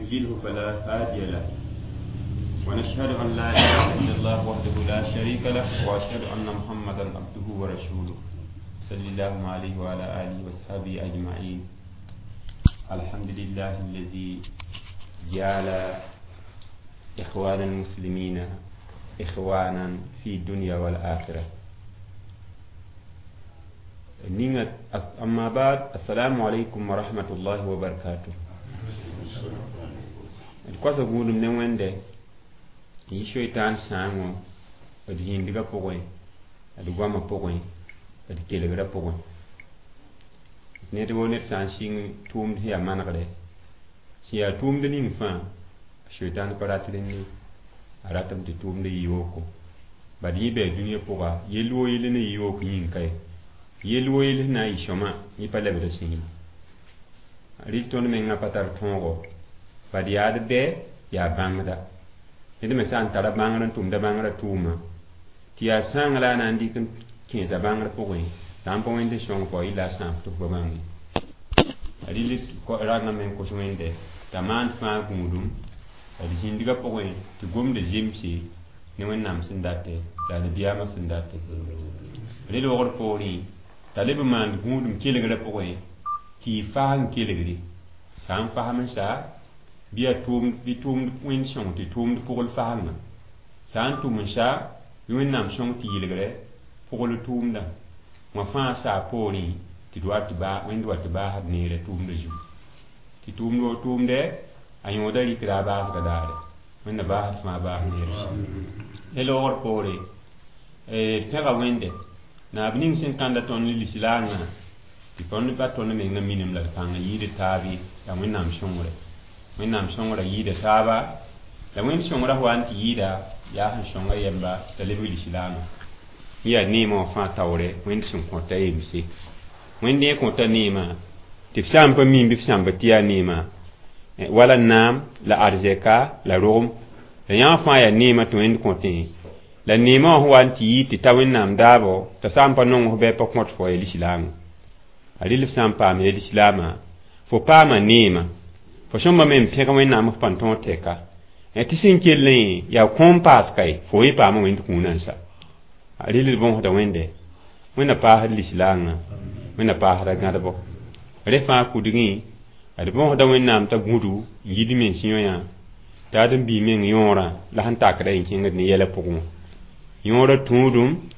يضلله فلا هادي له ونشهد أن لا إله إلا الله وحده لا شريك له وأشهد أن محمدا عبده ورسوله صلى الله عليه وعلى آله وصحبه أجمعين. الحمد لله الذي جعل إخوان المسلمين إخوانا في الدنيا والآخرة. أما بعد، السلام عليكم ورحمة الله وبركاته. D koasa gũudum ne wẽnde n yi soitaan sãango d zĩndgã pʋgẽ, d goamã pʋgẽ, d kelgrã pʋgẽ. Ned wo ned sã n sɩng tʋʋmd sẽn yaa manegre, sẽn yaa tʋʋmd ning fãa, soitaan pa rat rẽnd ye, a ratame tɩ tʋʋmd yɩ yooko. Bad yẽ bɩ dũniyã pʋga, yell woo yell ne yɩ yook yĩng ka ye, yell woo yell sẽn na n yɩ sõma, yẽ pa lebd sẽn ye. Rɩl tõnd mengã pa tar tõogo, bad yaa d bɛ yaa bãngda. Ned me sã n tara bãngr n tʋmda bãngrã tʋʋma, tɩ yaa sãang la a na n dɩk n kẽesa bãngr pʋgẽ, sã n pa wẽnd n sõng fo yɩla a sãam tɩ f pa bãng ye. Rɩl rangã me n kos wẽnde t'a maand fãa gũudum d zĩndgã pʋgẽ tɩ gomda zemse ne Wẽnnaam sẽn date la nabiyaamã sẽn date. Rel wogr poorẽ t'a leb n maand gũudum kelgrã pʋgẽ tɩ y fas n kelgre, sã n fasem n sa bɩ yaa tʋʋmd bɩ tʋʋmd wẽnd sõng tɩ tʋʋmd pʋgl fasengã, sã n tʋm n sa bɩ Wẽnnaam sõng tɩ yɩlgrɛ pʋgl tʋʋmdã. Wã fãa saa poorẽ tɩ d wa tɩ baa wẽnd wa tɩ baasd neerã tʋʋmdã zugu, tɩ tʋʋmd wo tʋʋmdɛ a yõoda rɩkda a baasga daare. Wẽnna baasd fãa baas neerã. Ne loogr poore d pẽga Wẽnde naab ning sẽn kãnda tõnd ne lislaangã, tɩ tõnd pa tõnd mengã minim la d pãng yɩɩd taab ye. Yaa Wẽnnaam sõngre, Wẽnnaam sõngrã yɩɩda taaba, la Wẽnd sõngrã wa n tɩ yɩɩda yaa sẽn sõnga yɛmba t'a lebg lislaamã. Yẽ yaa neemã wã fãa taoore Wẽnd sẽn kõta yemse. Wẽnd yẽ kõta neemã tɩ f sã n pa miim bɩ f sãmba tɩ yaa neemã, wala naam la arzɛka la rogem la yãa fãa yaa neemã tɩ Wẽnd kõtẽ. La neemã wã sẽn wa n tɩ yɩ tɩ ta Wẽnnaam daabo, t'a sã n pa nong f bɩ pa kõt fo ya lislaamã. A rɩl f sã n paam ya lislaamã, fo paama neemã, fo sõmba me n pẽg Wẽnnaam f pãn tõog tɛka tɩ sẽn kellẽ yaa kõom paas ka ye, fo yẽ paama Wẽnd kũunã n sa. A rɩl d bõsda Wẽnde, Wẽnna paasd lislaangã, Wẽnna paasda gãdbo rẽ fãa kudgẽ. D bõsda Wẽnnaam t'a gũdu n yid mens yõyã t'a ad n bii meng yõorã la sẽn takda n kẽngd ne yɛlã pʋgẽ wã. Yõorã tũudum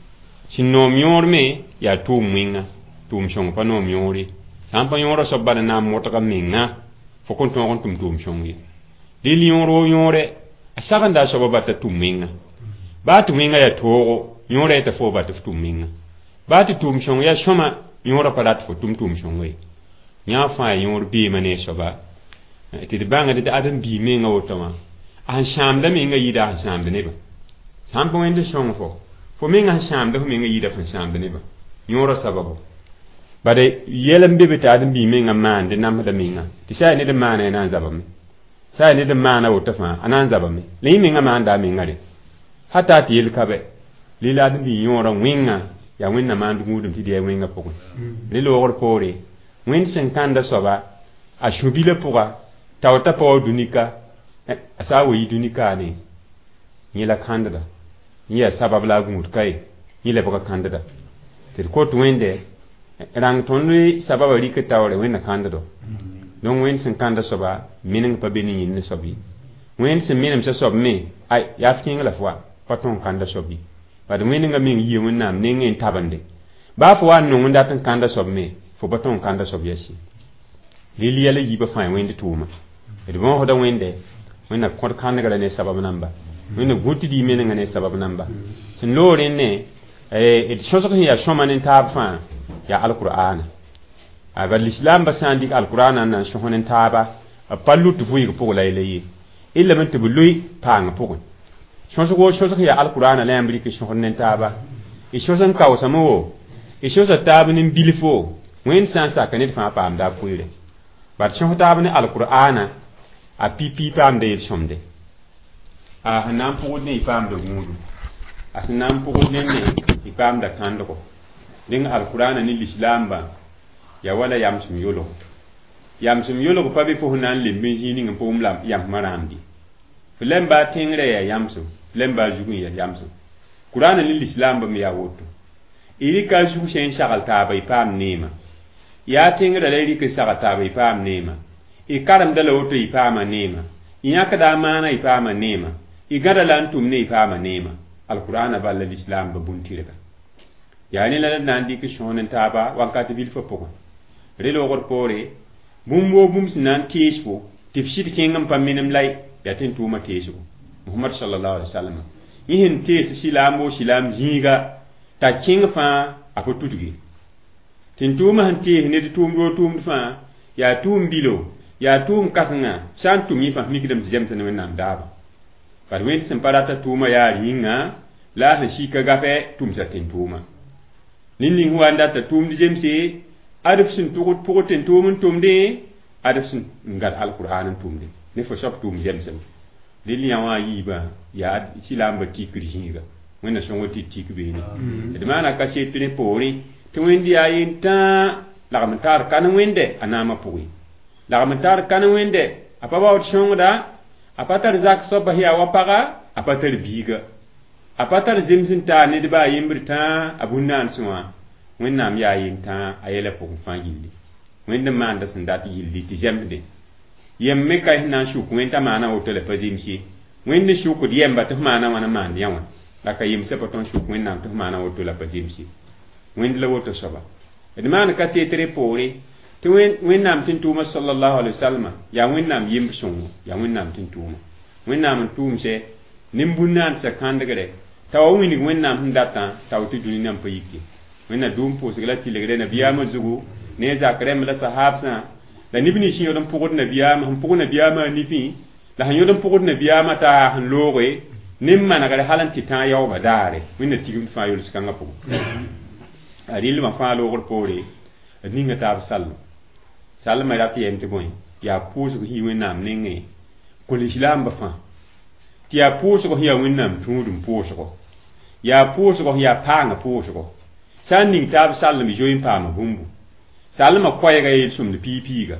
sẽn noom yõor me yaa tʋʋm wẽnga, tʋʋm sõng pa noom yõor ye. Sã n pa yõorã soab bala na n modga menga, fo kõn tõog n tʋm tʋʋm sõng ye. Rɩl yõor wo yõore a sagenda a soaba ba t'a tʋm wẽnga, baa tɩ wẽnga yaa toogo, yõorã yeta fo ba tɩ f tʋm wẽnga, baa tɩ tʋʋm sõng yaa sõma, yõorã pa rat fo tʋm tʋʋm sõnga ye. Yã fãa yõor beema ne a soaba tɩ d bãngd tɩ ad n bii menga woto wã a sẽn sãamda menga yɩɩda a sẽn sãamd nebã. Sã n pa Wẽnd sõng fo menga sẽn sãamda fo menga yɩɩda fõn sãamd nebã yõorã sababu. Bad yɛl n be be tɩ ad n bii menga maande namsda menga, tɩ sã yaa ned n maana a na n zabame, sã yaa ned n maana woto fãa a na n zabame, la yẽ menga maanda a menga re hata tɩ yel ka bɛ. Lila ad n bii yõorã wẽnga yaa Wẽnna maand gũudum tɩ d yaa wẽnga pʋgẽ. Rẽ loogr poore Wẽnd sẽn kãnda soaba a sũ-bilã pʋga tao t'a pa wa dũnika, a sã n wa yi dũnikaane yẽ la kãndda, yẽ yaa sabab la a gũud ka ye, yẽ lebga kãndda. Tɩ d kot Wẽnde rãng tõnd sababa rɩk taoore Wẽnna kãnddo. Donc Wẽnd sẽn kãnda soaba meneng pa be ne yĩnd ne soab ye. Wẽnd sẽn menemsa soab me ay yaa f kẽng la fo wa pa tõn kãnda soab ye. Bad wẽnengã meng yia Wẽnnaam nengẽ n tabende, baa fo wa n nong n dat n kãnda soab me, fo pa tõn kãnda soab yɛs ye. Rɩl yɛla yiibã fãa ya Wẽnd tʋʋma. D bõosda Wẽnde, Wẽnna kõd kãnegrã ne sabab namba, Wẽnna gũ tɩ d yɩ menengã ne sabab namba. Sẽn loog rẽndẽ d sõsg sẽn yaa sõma ne taab fãa yaa alqur'ana. Bad lislaambã sã n dɩk alqur'ana n na n sõs ne taaba, b pa lut vʋɩg pʋg la yɛla ye, y lame tɩ b loe paang pʋgẽ. Sõsg wo sõsg yaa alqur'ana la yãmb rɩk sõsd ne taaba, y sõs n kaoosame wo, y sõsa taab ne bilfo, Wẽnd sã n sak ned fãa paamda a pʋɩɩre. Bad sõs taab ne alqur'ana a pipi paamda yel-sõmde. A sẽn na n pʋgd ne y paamda gũudum, a sẽn na n pʋgd nende y paamda kãndgo. Dẽng alqur'ana ne lislaambã yaa wala yamsem yʋlg. Yamsem yolg pa be fo sẽn na n lemb n zĩig ning n pa wʋm la yãmsmã rãamd ye. Fo lem baa tẽngrã yaa yamsem, fo lem baa zugẽ yaa yamsem. Kurãana ne lislaambã me yaa woto. Y rɩka a zug sẽn n sagl taaba y paam neema. Yaa tẽngrã la y rɩk n sagl taaba y paam neema. Y karemda la woto y paama neema. Y yãkda a maana y paama neema. Y gãda la n tʋm ne y paama neema. Alkur'ana bal la lislaambã bũn-tɩrga. Yaa rẽ la d na n dɩk sõon n taaba wakat bilfã pʋgẽ. Re loogr poore, bũmb woo bũmb sẽn na n tees fo tɩ f sɩd kẽng n pa minem la yaa tɩ n tʋʋmã teesgo. Muhammad sallallahu alaihi wasallam yẽ sẽn tees silaam woo silaam zĩiga t'a kẽng fãa a pa tudge. Tɩ n tʋʋmã sẽn tees ned tʋʋmd woo tʋʋmd fãa yaa tʋʋm bilo, yaa tʋʋm kãsenga sã n tʋm yẽ fãa f mikdame tɩ zems ne Wẽnnaam daaba. Bad wẽnd sẽn pa rata tʋʋmã yaa yĩnga la a sẽn sika gafɛ tʋmsa tẽn-tʋʋma. Ned ning sẽn wa n data tʋʋmd zemse, ad f sẽn tʋgd pʋgd tẽn-tʋʋm n tʋmdẽ, ad f sẽn n gãd alkur'an n tʋmdẽ. Ne fo soab tʋʋm zemsem. Rel yã wã yiibã yaa silaambã tikr zĩiga. Wẽnna sõngr tɩ tik beene. D maana kaset rẽ poorẽ tɩ wẽnd yaa yentãa lagm n taar kan wẽnde a naamã pʋgẽ. Lagm n taar kan wẽnde a pa baood sõngda, a pa tar zak soaba sẽn yaa wa paga, a pa tar biiga. A pa tar zems n taa ned baa yembr tãa a bũn-naansẽ wã. Wẽnnaam yaa yentãa a yɛlã pʋgẽ fãa yilli. Wẽnd n maanda sẽn dat yilli tɩ zemsde. Yem me ka sẽn na n sʋk wẽnd t'a maana woto la pa zems ye. Wẽnd n sʋkd yɛmba tɩ f maana wãna n maand yã wã. La ka yemsã pa tõe n sʋk Wẽnnaam tɩ f maana woto la pa zems ye. Wẽnd la woto soaba. D maan kaset rẽ poore tɩ Wẽnnaam tẽn-tʋʋmã sallallahu alaihi wasallam yaa Wẽnnaam yemb sõngo, yaa Wẽnnaam tẽn-tʋʋma. Wẽnnaam n tʋʋmsɛ nin-bũn-naansã kãndgre t'a wa wĩnig Wẽnnaam sẽn datã t'a woto dũni nan pa yike. Wẽnna dʋʋm pʋʋsg la tɩlgre nabiyaamã zugu ne a zak rẽmb la sahaabsã la neb nins sẽn yõd n pʋgd nabiyaamã, sẽn pʋg nabiyaamã a nifẽ la sẽn yõd n pʋgd nabiyaamã t'a sẽn looge ne n manegre hal n tɩ tãag yaoobã daare. Wẽnna tigimd fãa yols-kãngã pʋgẽ. A rɩlmã fãa loogr poore d ninga taab sallem. Sallmã rat yɛm tɩ bõe yaa pʋʋsg sẽn yi Wẽnnaam nengẽ kõ lislaambã fãa. Tɩ yaa pʋʋsg sẽn yaa Wẽnnaam tũudum pʋʋsgo. Yaa pʋʋsgo sẽn yaa paangã pʋʋsgo. Sã n ning taab sallem zoe n paama bũmbu. Sallmã koɛɛga yel-sõmd piig-piiga.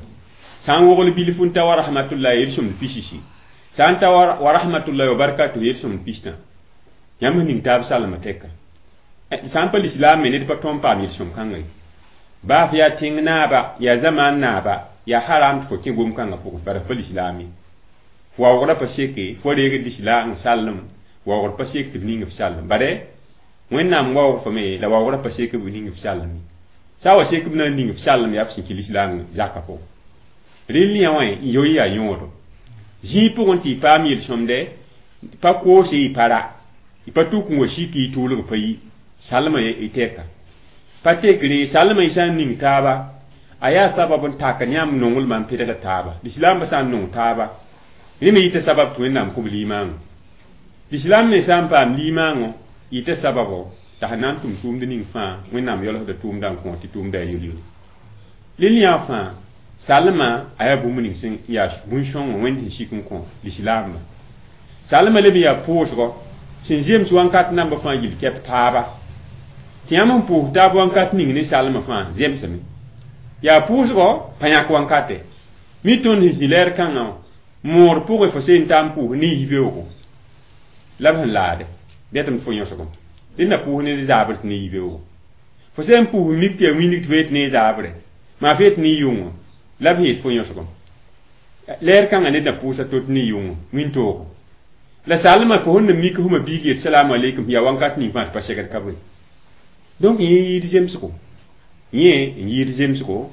Sã n wogl bilf n ta wa rahmatullahi yel-sõmd pisisi. Sã n ta wa rahmatullahi wa barakatuh yel-sõmd pistã. Yãmb sẽn ning taab sallmã tɛka. Sã n pa lislaam me ned pa tõe n paam yel-sõm kãnga ye. Baa f yaa tẽng naaba, yaa zamaan naaba, yaa haram tɩ fo kẽ gom-kãngã pʋgẽ, bara f pa lislaam ye. Fo waoogrã pa seke, fo reegd lislaam sallem, waoogr pa sek tɩ b ning f sallem. Bare Wẽnnaam waoog fo me la waoogrã pa sek b ning f sallem ye. Sã wa sek b na n ning f sallem yaa f sẽn kɩ lislaam zakã pʋgẽ. Rel yã wã n yoe yaa yõodo. Zĩig pʋgẽ tɩ y paam yel-sõmde, pa koose y pa ra, y pa tuk n wa sik y tʋʋlg pa yi, sallmã y tɛka. Pa tekre sallmã y sã n ning taaba, a yaa sabab n tak n yãmb nonglmã n pedgd taaba. Lislaambã sã n nong taaba, rẽ me yita sabab tɩ Wẽnnaam kõ b limaangõ. Lislaam me sã n paam limaangõ, yita sababo t'a sẽn na n tʋm tʋʋmd ning fãa Wẽnnaam yaoolsda tʋʋmdã n kõ tɩ tʋʋmda yaa yel-yelle. Rel yã fãa sallmã a yaa bũmb ning sẽn yaa bũn-sõngã Wẽnd sẽn sik n kõ lislaambã. Sallmã leb n yaa pʋʋsgɔ sẽn zems wãnkat nambã fãa yil kɛp taaba. Tɩ yãmb sẽn pʋʋs taab wãnkat ning ne sallmã fãa zemsame. Yaa pʋʋsgɔ pa yãk wankate. Mi tõnd sẽn zĩ lɛɛr kãngã wã, moor pʋgẽ fo seen t'a n pʋʋs ne yibeoogo. La b sẽn laade, bɛtame tɩ fo yõsgem. Rẽnd na pʋʋs ne zaabr tɩ ne yibeoogo. Fo sẽn pʋʋs mik tɩ yaa wĩndg tɩ f ne zaabre, maa f yet ne yʋngã, la b yet fo yõsgem. Lɛɛr kãngã ned na pʋʋsa to tɩ ne yʋngã, wĩntoogo. La sallmã fo sẽn na mik fma biig yet salamu aleykum yaa wãnkat ning fãa tɩ pa segd ka bõe. Donc yẽ yɩɩd zemsgo. Yẽ n yɩɩd zemsgo,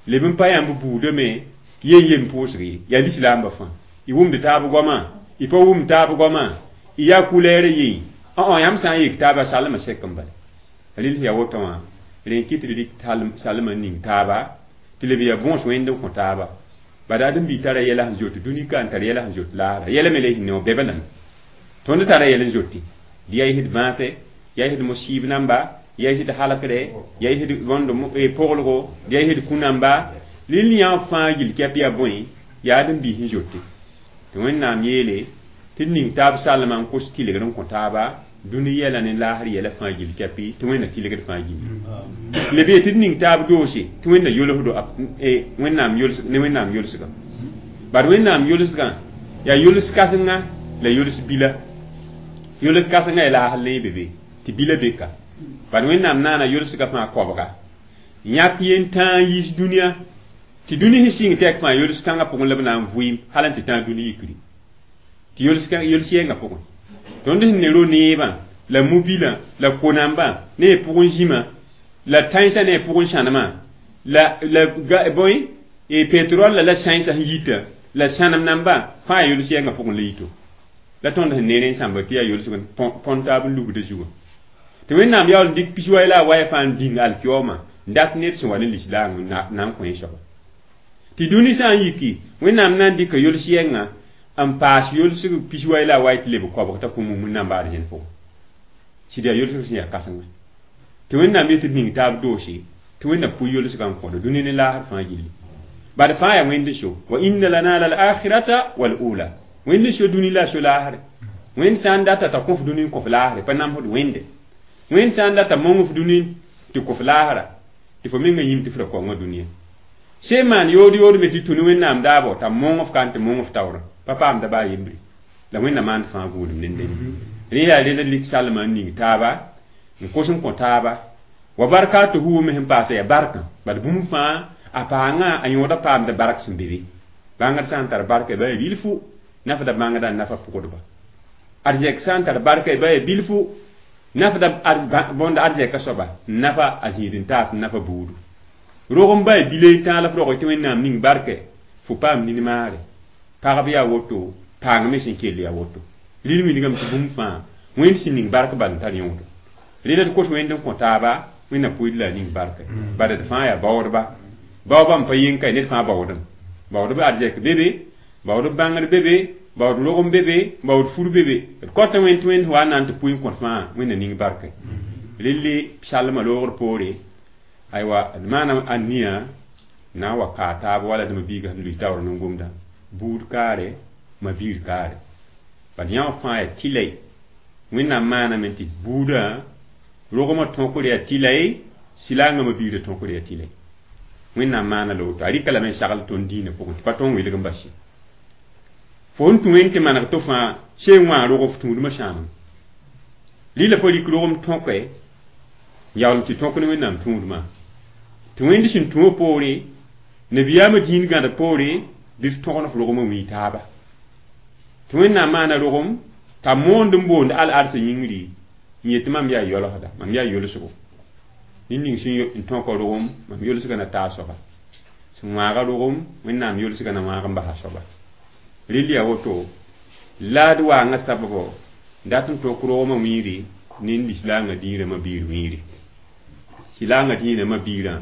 leb n pa yãmb buudame yen yem pʋʋsg ye, yaa lislaambã fãa. Y wʋmd taab goamã, y pa wʋmd taab goamã, y yaa kulɛɛr yẽ. Yãmb sã n yik taaba sallmã sek n bala. Rel yaa woto wã, rẽ n kɩt tɩ rɩk sallmã n ning taaba, tɩ leb yaa bõos wẽnd n kõ taaba. Bad ãdem-biig tara yɛla sẽn zoet dũni ka n tar yɛla sẽn zoet laara. Yɛla me la y sẽn ne wã bɛbã lame. Tõnd tara yɛl n zoete. Dɩ yaa y sd bãase, yaa y sd mosiib namba, yaa y sd halkre, yaa y sd rõnd poglgo, yaa y sd kũ-namba. Rel yã fãa yil kɛp yaa bõe, yaa ãdem-biig sẽn zoete. Tɩ Wẽnnaam yeele tɩ d ning taab sallmã n kos tɩlgr n kõ taaba, Dũni yɛla ne laasr yɛla fãa gill kɛpɩ tɩ Wẽnna tɩlgd fãa gilli. Le bee tɩ d ning taab doose tɩ Wẽnna yolsdo Wẽnnaam yols ne Wẽnnaam yolsgã. Bad Wẽnnaam yolsgã yaa yols kãsenga la yols bila. Yols kãsenga yaa laasr le be be tɩ bila be ka. Bad Wẽnnaam naana yolsgã fãa koabga. Yãk yen-tãa n yiis dũniyã tɩ dũni sẽn sɩng tɛk fãa yols kãngã pʋgẽ la b na n vʋɩɩm hal n tɩ tãag dũni yikri. Tɩ yols yɛngã pʋgẽ. Tõnd sẽn ne ro-neebã la mobilã la ko-nambã ne y pʋgẽ zĩmã la tãensã ne y pʋgẽ sãnemã la la bõe y pétrole la sãensã sẽn yita la sãnem nambã fãa yaa yols yɛngã pʋgẽ la yito. La tõnd sẽn ne rẽ sãmba tɩ yaa yolsg põn taab n lugda zugã. Tɩ Wẽnnaam yaool n dɩk pis-wai la a waya fãa n dĩng alkiyoomã n dat ned sẽn wa ne lislaam na n kõ soaba. Tɩ dũni sã n yiki Wẽnnaam na n dɩka yols yɛngã n paas yolsg pis-wai la a wai tɩ leb koabg t'a kõ mumd namba arzẽn pʋgẽ. Sɩd yaa yolsg sẽn yaa kãsengã. Tɩ Wẽnnaam yetɩ d ning taab doose tɩ Wẽnna pʋɩ yolsgã n kõdo dũni ne laasr fãa gilli. Bad fãa yaa Wẽnd so wa inna lana lal akhirata wal ula. Wẽnd so dũni la so laasre. Wẽnd sã n data t'a kõf dũni n kõf laasre pa namsd Wẽnde. Wẽnd sã n data mong f dũni tɩ kõf laasra tɩ fo menga yĩm tɩ f ra kaongã dũniyã. Sẽn maan yood yood me tɩ tũ ne Wẽnnaam daabo t'a mong f ka n tɩ mong f taoorã pa paamda baa yembre. La Wẽnna maand fãa gũudum nendẽ. Rẽ yaa rẽnd lik salmã n ning taaba n kos n kõ taaba wa barkatuhu me sẽn paasa yaa barkã bad bũmb fãa a paangã a yõoda paamda bark sẽn be be. Bãngd sã n tar barka ba yaa bilfu nafda bãngda n nafa pʋgdba. Arzɛk sã n tar barka ba yaa bilfu nafda bõnd arzɛka soaba n nafa a zĩid n taas n nafa buudu. Rog n ba yaa bile n tãag la f rog tɩ Wẽnnaam ning barkɛ fo paam nin-maare. Pagb yaa woto paang me sẽn kell yaa woto. Rɩl wilgame tɩ bũmb fãa Wẽnd sẽn ning bark bal n tar yõodo. Rẽla d kos Wẽnd n kõ taaba Wẽnna pʋɩd la a ning barka. Bala d fãa yaa baoodba. Baoobã n pa yeng ka ned fãa baoodem. Baoodb arzɛk be be, baoodb bãngr be be, baood rogem be be, baood fur be be. D kõta Wẽnd tɩ Wẽnd wa n na n tɩ pʋɩ n kõt fãa Wẽnna ning barka. Relle salmã loogr poore aywa d maana a nia na n wa kaa taab wala d ma-biigã sẽn lʋɩ taoor nin-gomdã buud kaare ma biir kaare. Bad yã wã fãa yaa tɩlɛ Wẽnnaam maaname tɩ buudã rogmã tõkr yaa tɩlɛ silaangã ma biirã tõkr yaa tɩlɛ. Wẽnnaam maana la woto a rɩka lame n sagl tõnd diinã pʋgẽ tɩ pa tõnd wilg n bas ye. Fo n tũ Wẽnd tɩ maneg tɩ fãa seen wã rog f tũudmã sãamem. Rɩla pa rɩk rogem tõke n yaool n tɩ tõk ne Wẽnnaam tũudmã. Tɩ Wẽnd sẽn tũ poore nabiyaamã dĩin gãd poore bɩ f tõgen f rogmã wii taaba. Tɩ Wẽnnaam maana rogem t'a moond n boond al-arsã yĩngri n yet tɩ mam yaa yolsda mam yaa yolsgo. Ned ning sẽn n tõka rogem mam yolsgã na taa soaba. Sẽn wãaga rogem Wẽnnaam yolsgã na wãag n basa soaba. Rɩl yaa woto la d waangã sababo dat n tok rogmã wiiri ne lislaangã dĩirã ma-biir wiiri. Silaangã dĩinã ma-biirã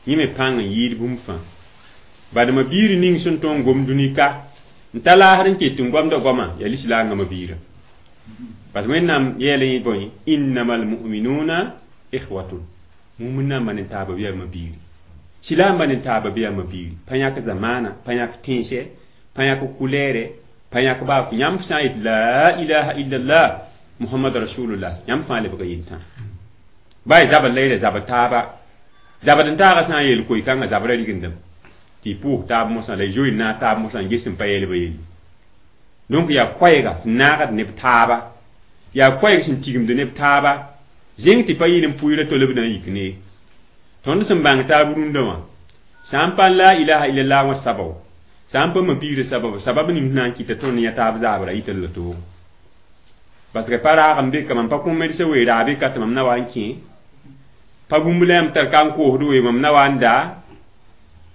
yẽ me pãng n yɩɩd bũmb fãa. Bad ma-biir ning sẽn tõog n gom dũni ka n ta laasr n ket n gomda goamã yaa lislaangã ma-biirã. Parce que Wẽnnaam yeelã yẽ bõe innamal mu'minuna ikhwatun. Mumd nambã ne taaba bɩ yaa ma-biiri. Silaambã ne taaba bɩ yaa ma-biiri. Pa yãk zamaana, pa yãk tẽnsɛ, pa yãk kulɛɛrɛ, pa yãk baa yãmb sã n yet la ilaha illallah Muhammad rasulullah yãmb fãa lebga yentã. Baa y zabr la y ra zabr taaba. Zabd n taagã sã n yeel koe-kãngã zabra rigindame tɩ y pʋʋs taab mosã la y zoe n naag taab mosã n ges n pa yeelba yelle. Donc yaa koɛɛga sẽn naagd neb taaba. Yaa koɛɛg sẽn tigimd neb taaba. Zẽng tɩ pa yɩl n pʋɩra to la b na n yik ne. Tõnd sẽn bãng taab rũndã wã sã n pa la ilaha illallah wã sababo sã n pa ma-biirã sababo sabab ning sẽn na n kɩta tõnd yã taab zaabra yɩ tɩ la toog. Parce que pa raag n be ka mam pa kõ medsã wee raab ka tɩ mam na wa n kẽ pa bũmb la yãmb tar ka n koosd wee mam na wa n daa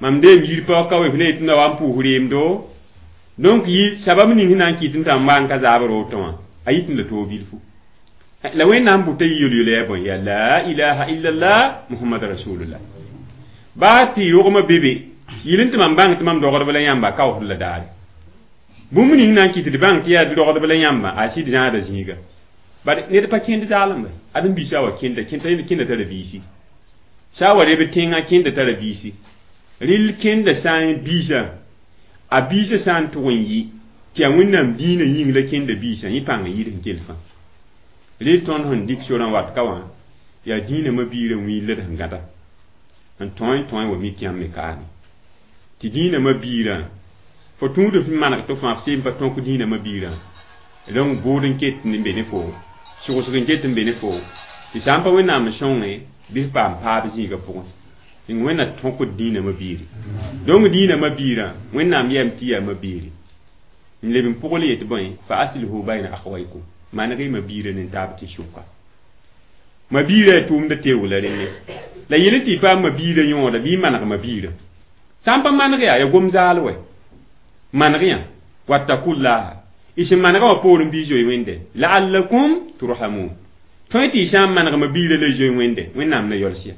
mam deem yir pa ka wee f ne yetɩ na wa n pʋʋs reemdo. Donc yɩ sabab ning sẽn na n kɩt n tɩ mam wa n ka zaabr woto wã a yɩt n la toog bilfu. La Wẽnnaam bʋta yɩ yel-yola yaa bõe yaa la ilaha illallah Muhammad rasulullah. Baa tɩ rogmã be be yɩl n tɩ mam bãng tɩ mam dogdb la yãmba kaoosd la daare. Bũmb ning na n kɩt d bãng tɩ yaa dogdb la yãmba a sɩd zãada zĩiga. Bad ned pa kẽnd zaalembe ad n biisã wa kẽnda kẽnda tara biisi. Sã n wa reb tẽngã kẽnda tara biisi. Rɩl kẽnda sã n biisã a biisã sã n tʋg n yɩ tɩ yaa Wẽnnaam dĩinã yĩng la kẽnda biisã yẽ pãng n yɩɩd sẽn kell fãa. Rɩ tõnd sẽn dɩk sorã wat ka wã yaa dĩinã ma-biirã wiil la d sẽn gãda n tõe wa mik yãmb me kaame tɩ dĩinã ma-biirã fo tũud f maneg tɩ fãa f seem pa tõk dĩinã ma-biirã donc bʋʋd n ket n be ne fo sʋgsg n ket n be ne fo tɩ sã n pa Wẽnnaam n sõnge bɩ f paam paab zĩigã pʋgẽ ning Wẽnna tõkd dĩinã ma-biiri donc dĩinã ma-biirã Wẽnnaam yɛm tɩ yaa ma-biiri n leb n pʋgl yetɩ bõe fa aslihu bayna akhawaykum maneg y ma-biirã ne taab tɩ sʋka ma-biirã yaa tʋʋmda teoog la rẽnne la yel tɩ y paam ma-biirã yõoda bɩ y maneg ma-biirã sã n pa maneg yaa ya gom zaal wɛ maneg yã wattakullaha y sẽn manegã wã poorẽ bɩ y zoe Wẽnde la'allakum turhamun tõe tɩ y sã n maneg ma-biirã la y zoe Wẽnde Wẽnnaam na yols ya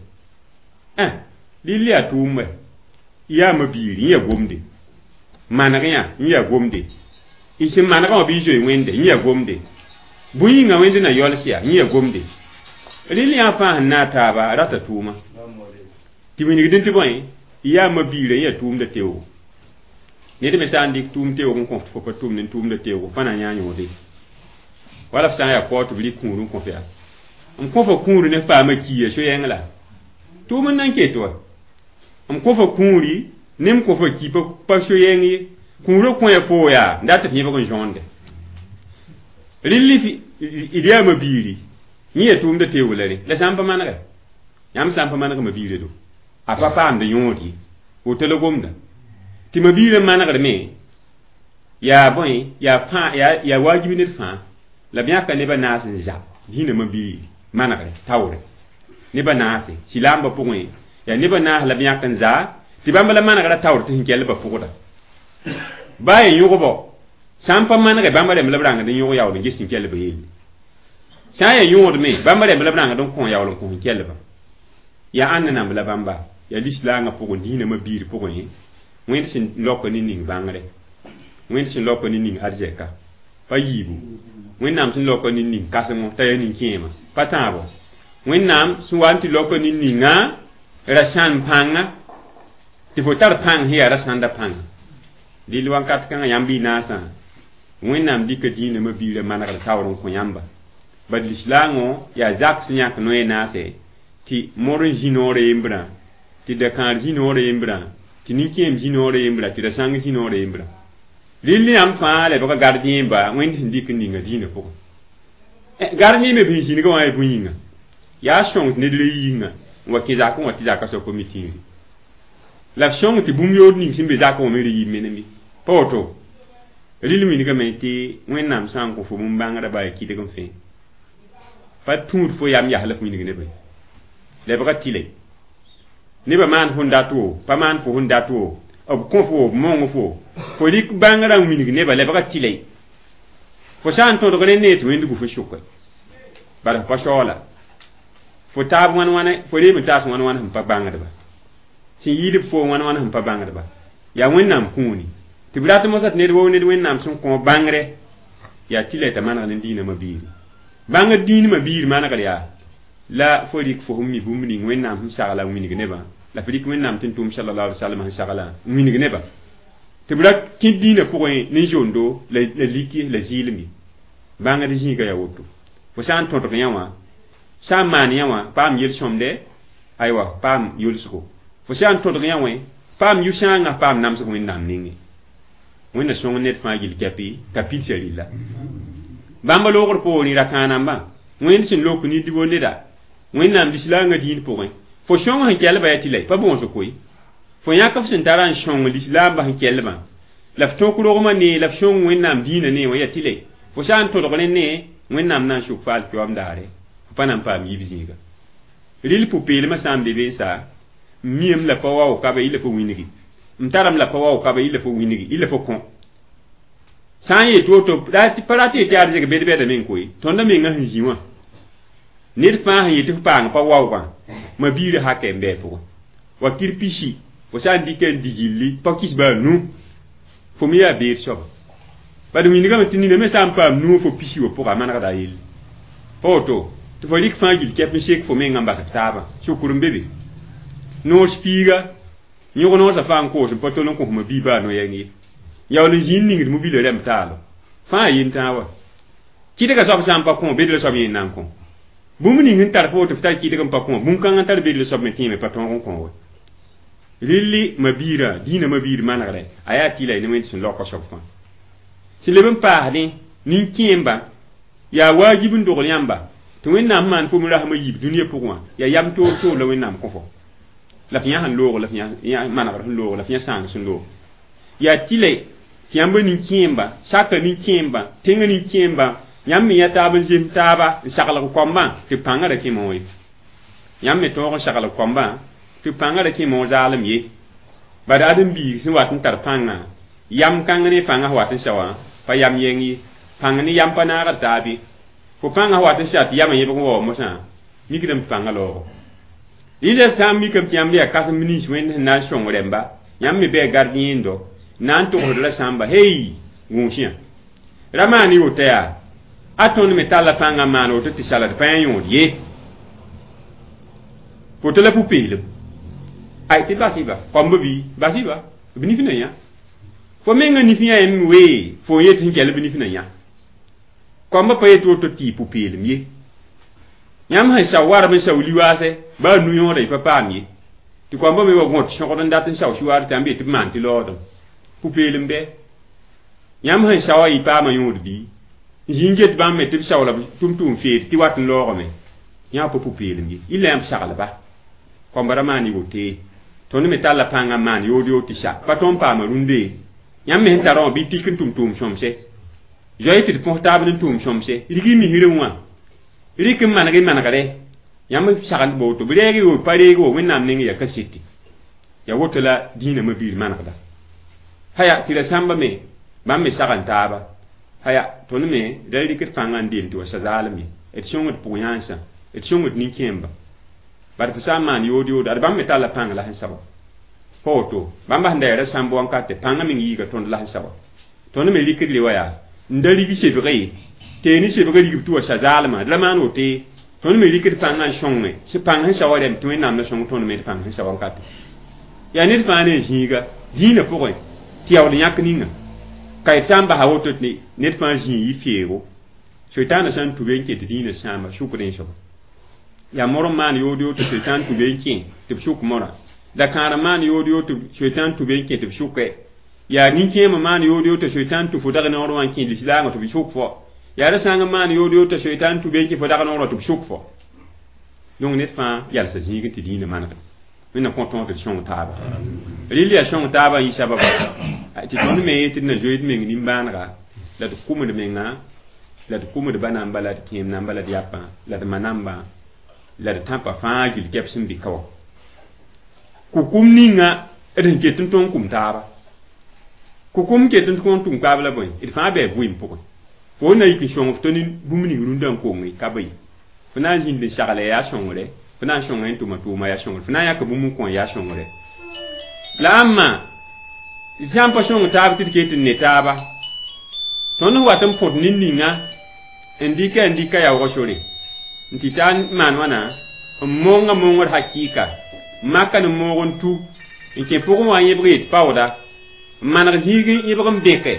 rɩl yaa tʋʋm wɛ yaa ma-biiri n yaa gomde maneg yã n yaa gomde y sẽn manegã wã bɩ y zoe Wẽnde n yaa gomde bõe yĩnga Wẽnd na yols ya n yaa gomde rɩl yã fãa sẽn na a taaba rata tʋʋma tɩ wilgdẽ tɩ bõe yaa ma-biirã n yaa tʋʋmda teoogo ned me sã n dɩk tʋʋm teoog n kõ fo pa tʋmd n tʋʋmda teoogo fã na yã yõode wala f sã n yaa kao tɩ b rɩk kũur n kõ f yaa m kõ fo kũuri ne f paama kiya so-yɛng la tʋʋm n nan ket wa m kõ fo kũuri ne m kõ fo ki pa so-yɛng ye kũurã kõ ya foo yaa n dat tɩ f yẽbg n zõonde rɩl d yaa ma-biiri yẽ yaa tʋʋmda teoog la rẽ la sã n pa manegɛ yãmb sã n pa maneg ma-biirã do a pa paamd yõod ye woto la gomda tɩ ma-biirã manegr me yaa bõe yaa fãa yaa wajibi ned fãa la b yãka neba naas n za dĩinã ma-biiri manegre taoore neba naase silaambã pʋgẽ yaa neba naas la b yãk n za tɩ bãmb la manegrã taoor tɩ sẽn kell ba pʋgda baa yaa yõgbɔ sã n pa manege bãmb rẽmb la b rãngd n yõg yaool n ges sẽn kell ba yelle sã n yaa yõod me bãmb rẽmb la b rãngd n kõ yaool n kõ sẽn kellba yaa ãnna namb la bãmba yaa lislaangã pʋgẽ dĩinã ma-biir pʋgẽ Wẽnd sẽn laoka ne ning bãngre Wẽnd sẽn laoka ne ning arzɛka pa yiibu Wẽnnaam sẽn laoka ne ning kãsengo t'a yaa nin-kẽema pa tãabo Wẽnnaam sẽn wa n tɩ laoka ne ninga ra-sãn pãnga tɩ fo tar pãng sẽn yaa ra-sãnda pãnga dɩl wakat kãngã yãmb y naasã Wẽnnaam dɩka dĩinã ma-biirã manegr taoor n kõ yãmba bad lislaangõ yaa zak sẽn yãk noe naase tɩ mor n zĩ noorã yembrã tɩ dakãar zĩ noorã yembrã tɩ nin-kẽem zĩ noorã yembrã tɩ ra-sãng zĩ noorã yembrã rɩl yãmb fãa lebga gardien-ba Wẽnd sẽn dɩk n ninga dĩinã pʋgẽ gardien me bɩ zĩnigã wã yaa bõe yĩnga yaa sõng tɩ ned ra yĩnga n wa kẽ zakẽ wã tɩ zaka soab pa mi tĩiri la f sõng tɩ bũmb yood ning sẽn be zakẽ wã me ra yib menem ye pa woto rɩl wilgame tɩ Wẽnnaam sã n kõ fo bũmb-bãngrã baa kɩdg n fẽ pa tũud fo yam yas la f wilg nebã lebga tɩle nebã maan fõn dat wo pa maan fo sẽn dat wo b kõ fo b mong fo fo rɩk bãngrã n wilg nebã lebga tɩle fo sã n tõdg rẽ nee tɩ Wẽnd gu fo sʋke bala fo pa shaoola fo taab wãn wãne fo reem n taas wãn wãn sẽn pa bãngdba sẽn yɩɩd fo wãn wãn sẽn pa bãngdba yaa Wẽnnaam kũuni tɩ b rat mosã tɩ ned woo ned Wẽnnaam sẽn kõ bãngre yaa tɩla t'a maneg ne dĩinã ma-biiri bãngr dĩin ma-biir manegr yaa la fo rɩk fo sẽn mi bũmb ning Wẽnnaam sẽn sagla n wilg nebã la f rɩk Wẽnnaam tɩ n tʋm sallallahu alaihi wasallam sẽn sagla n wilg nebã tɩ b ra kẽ dĩinã pʋgẽ ne zondo la liki la zɩɩlem ye bãngd zĩiga yaa woto fo sã n tõdg yã wã sã n maan yã wã paam yel-sõmde aywa paam yolsgo fo sã n tõdg yã wã paam yʋ-sãangã paam namsg Wẽnnaam nengẽ Wẽnna sõng ned fãa gill kɛpɩ t'a pidsa rɩlla bãmba loogr poorẽ ra-kãanambã Wẽnd sẽn lok nid bo neda Wẽnnaam lislaangã dĩin pʋgẽ fo sõng sẽn kelba yaa tɩ la pa bõos koe fo yãk f sẽn tara n sõng lislaambã sẽn kellbã la f tõk rogmã nee la f sõng Wẽnnaam dĩinã nee wã yaa tɩ la fo sã n tõdg rẽ nee Wẽnnaam na n sʋk fa alkiyoam daare fo pa na n paam yib zĩiga rɩl pʋ-peelmã sã n be be n sa m miame la pa wao ka be y la fo wilgi m tarame la pa wao ka be y la fo wilgi y la fo kõ sã n yet woto pa rat yetɩ yaa arzɛk bed-bɛda meng koe tõndã mengã sẽn zĩ wã ned fãa sẽn yetɩ f paang pa waoogã ma-biirã hakɛ n bɩ a pʋgẽ wakir pisi fo sã n dɩka n digilli pa kis baa nu fo me yaa beed soaba bad wilgame tɩ nina me sã n paam nu fo pisi wã pʋga a manegda a yelle pa woto tɩ fo rɩk fãa gill kɛp n sek fo mengã n bas f taabã sukr n be be noos piiga yõg noosã fãa n koos n pa tol n kõsma bii baa no-yɛng ye yaool n zĩnd ningd mobila rɛmb taalo fãa yen tãa wa Kɩdgã soab sã n pa kõ bedra soab yẽ n na n kõ. Bũmb ning sẽn tar fo tɩ f tar kɩdg n pa kõ, bũn-kãng n tar bedra soab me tẽeme pa tõog n kõ we. Rɩlli ma-biirã, dĩinã ma-biir manegrɛ, a yaa tɩ la y ne wẽnd sẽn laoka soab fãa. Sẽn leb n paasdẽ, nin-kẽemba, yaa waajib n dogl yãmba, tɩ Wẽnnaam sẽn maan fo me rasem a yiib dũniyã pʋgẽ wã, yaa yam toor toor la Wẽnnaam kõ fo. La f yã sẽn loog, la f yã manegr sẽn loog, la f yã sãang sẽn loog. Yaa tɩ la tɩ yãmba nin-kẽemba, saka nin-kẽemba, tẽngã nin-kẽemba, yãmb me yã taab n zems taaba n saglg koambã tɩ b pãngã ra kẽ moog ye. Yãmb me tõog n saglg koambã tɩ b pãngã ra kẽ moog zaalem ye. Bad ãdem-biig sẽn wat n tar pãngã, yam kãng ne pãngã sẽn wat n sa wã, pa yam yɛng ye. Pãng ne yam pa naagd taab ye. Fo pãngã sẽn wat n sa tɩ yamã yẽbg n wa mosã, mikdame tɩ pãngã laoogo. Rɩla sã n mikame tɩ yãmb yaa kãsem nins Wẽnd sẽn na n sõng rẽmba, yãmb me bɩ gardien-do, na n togsd ra sãmba, hey, gũus yã. Ra maan y woto yaa, a tõnd me talla pãngã n maan woto tɩ sala d pa yã yõod ye. Woto la pʋ-peelem. Ay, tɩ bas-y-ba, koamba bɩ, bas-y-ba, b nif na yã. Fo mengã nif yã yẽm wee, fo n yet sẽn kell b nif na yã. Koamba pa yet woto tɩ y pʋ-peelem ye. Yãmb sẽn sao warb n sao li-waasɛ, baa nu-yõoda y pa paam ye. Tɩ koambã me wa gõt sõgd n dat n sao sɩwaar tɩ yãmb yet tɩ b maan tɩ laoodem. Pʋ-peelem bɩ? Yãmb sẽn saoã y paama yõod bɩ? N zĩ n get bãmb me tɩ b sao la b tʋm-tʋʋm feed tɩ wat n laoogame. Yã pa pʋ-peelem ye. Illa yãmb saglba. Koamba ra maan y wote. Tõnd me talla pãngã n maan yood yood tɩ sa. Pa tõnd n paama rũndee. Yãmb me sẽn tarã wã bɩ tik n tʋm tʋʋm sõmse. Zoe tɩ d põs taab ne tʋʋm sõmse. Rig y misrẽ wã. Rɩk n maneg y manegre. Yãmb sagend ba woto. B reeg y wo, pa reeg wo, Wẽnnaam neng yaa kaseti. Yaa woto la dĩinã ma-biir manegda. Haya, tɩ ra sãmba me, bãmb me sagn taaba. Haya, tõnd me ra rɩkd pãngã n deem tɩ wa sa zaalem ye. D sõngd pʋg-yãensã, d sõngd nin-kẽemba. Bad fo sã n maan yood yoodo, ad bãmb me talla pãng la sẽn sa wa. Pa woto, bãmba sẽn da yaa ra sãmb wankate, pãngã meng yiiga tõnd la sẽn sa wa. Tõnd me rɩkd le wa yaa, n da rig sebge ye, tee ne sebgã rigb tɩ wa sa zaalmã, d ra maan wote, tõnd me rɩkd pãngã n sõnge, sẽn pãng sẽn sa wa rẽmb tɩ Wẽnnaam na sõng tõnd me d pãng sẽn sa wankate. Yaa ned fãa ne zĩiga, dĩinã pʋgẽ, tɩ yaool yãk ninga. Ka y sã n basa woto tɩ ned fãa zĩig yɩ feego, soitaanã sã n tũ be n ket dĩinã sãamba sʋkd n soaba. Yaa mor n maan yood yood tɩ soitaan tũ be n kẽ tɩ b sʋk morã. La kãar n maan yood yood tɩ soitaan tũ be n kẽ tɩ b sʋke. Yaa nin-kẽem n maan yood yood tɩ soitaan tũ fo dag noor wã n kẽ lislaangã tɩ b sʋk fo. Yaa ra sãng n maan yood yood tɩ soitaan tũ be n kẽ fo dag noor wã tɩ b sʋk fo. Donc ned fãa yalsa zĩig tɩ dĩinã manegre. Wẽnnaam kõ tõog tɩ d sõng taaba. Rɩl yaa sõng taabã n yɩ sababa tɩ tõnd me tɩ d na zoeed meng nimbãanega, la d kʋmd menga, la d kʋmd ba namba, la d kẽem namba, la d yapã, la d ma nambã, la d tãpã fãa gill kɛps n bɩ ka wã. Kʋkʋm ninga d sẽn ket n tõog kʋm taaba. Kʋkʋm ket n tõog tʋm taab la bõe? D fãa bɩ vɩɩm pʋgẽ. Fo na yik n sõng f to ne bũmb ning rũndã n konge ka bɩ. Fo na n zĩnd n sagle yaa sõngre, fo na n sõnga n tʋma tʋʋma yaa sõngre, fo na n yãk bũmb n kõ yaa sõngre. La ãmma sã n pa sõng taab tɩ d ket n ne taaba, tõnd sẽn wat n põt nin-ninga n dɩka n dɩka yaoogã sore n tɩ taa n maan wãna n monga mongd hakɩɩka, n maka ne moog n tu n kẽ pʋgẽ wã n yẽbg yet paooda, n maneg zĩig n yẽbg n bẽke,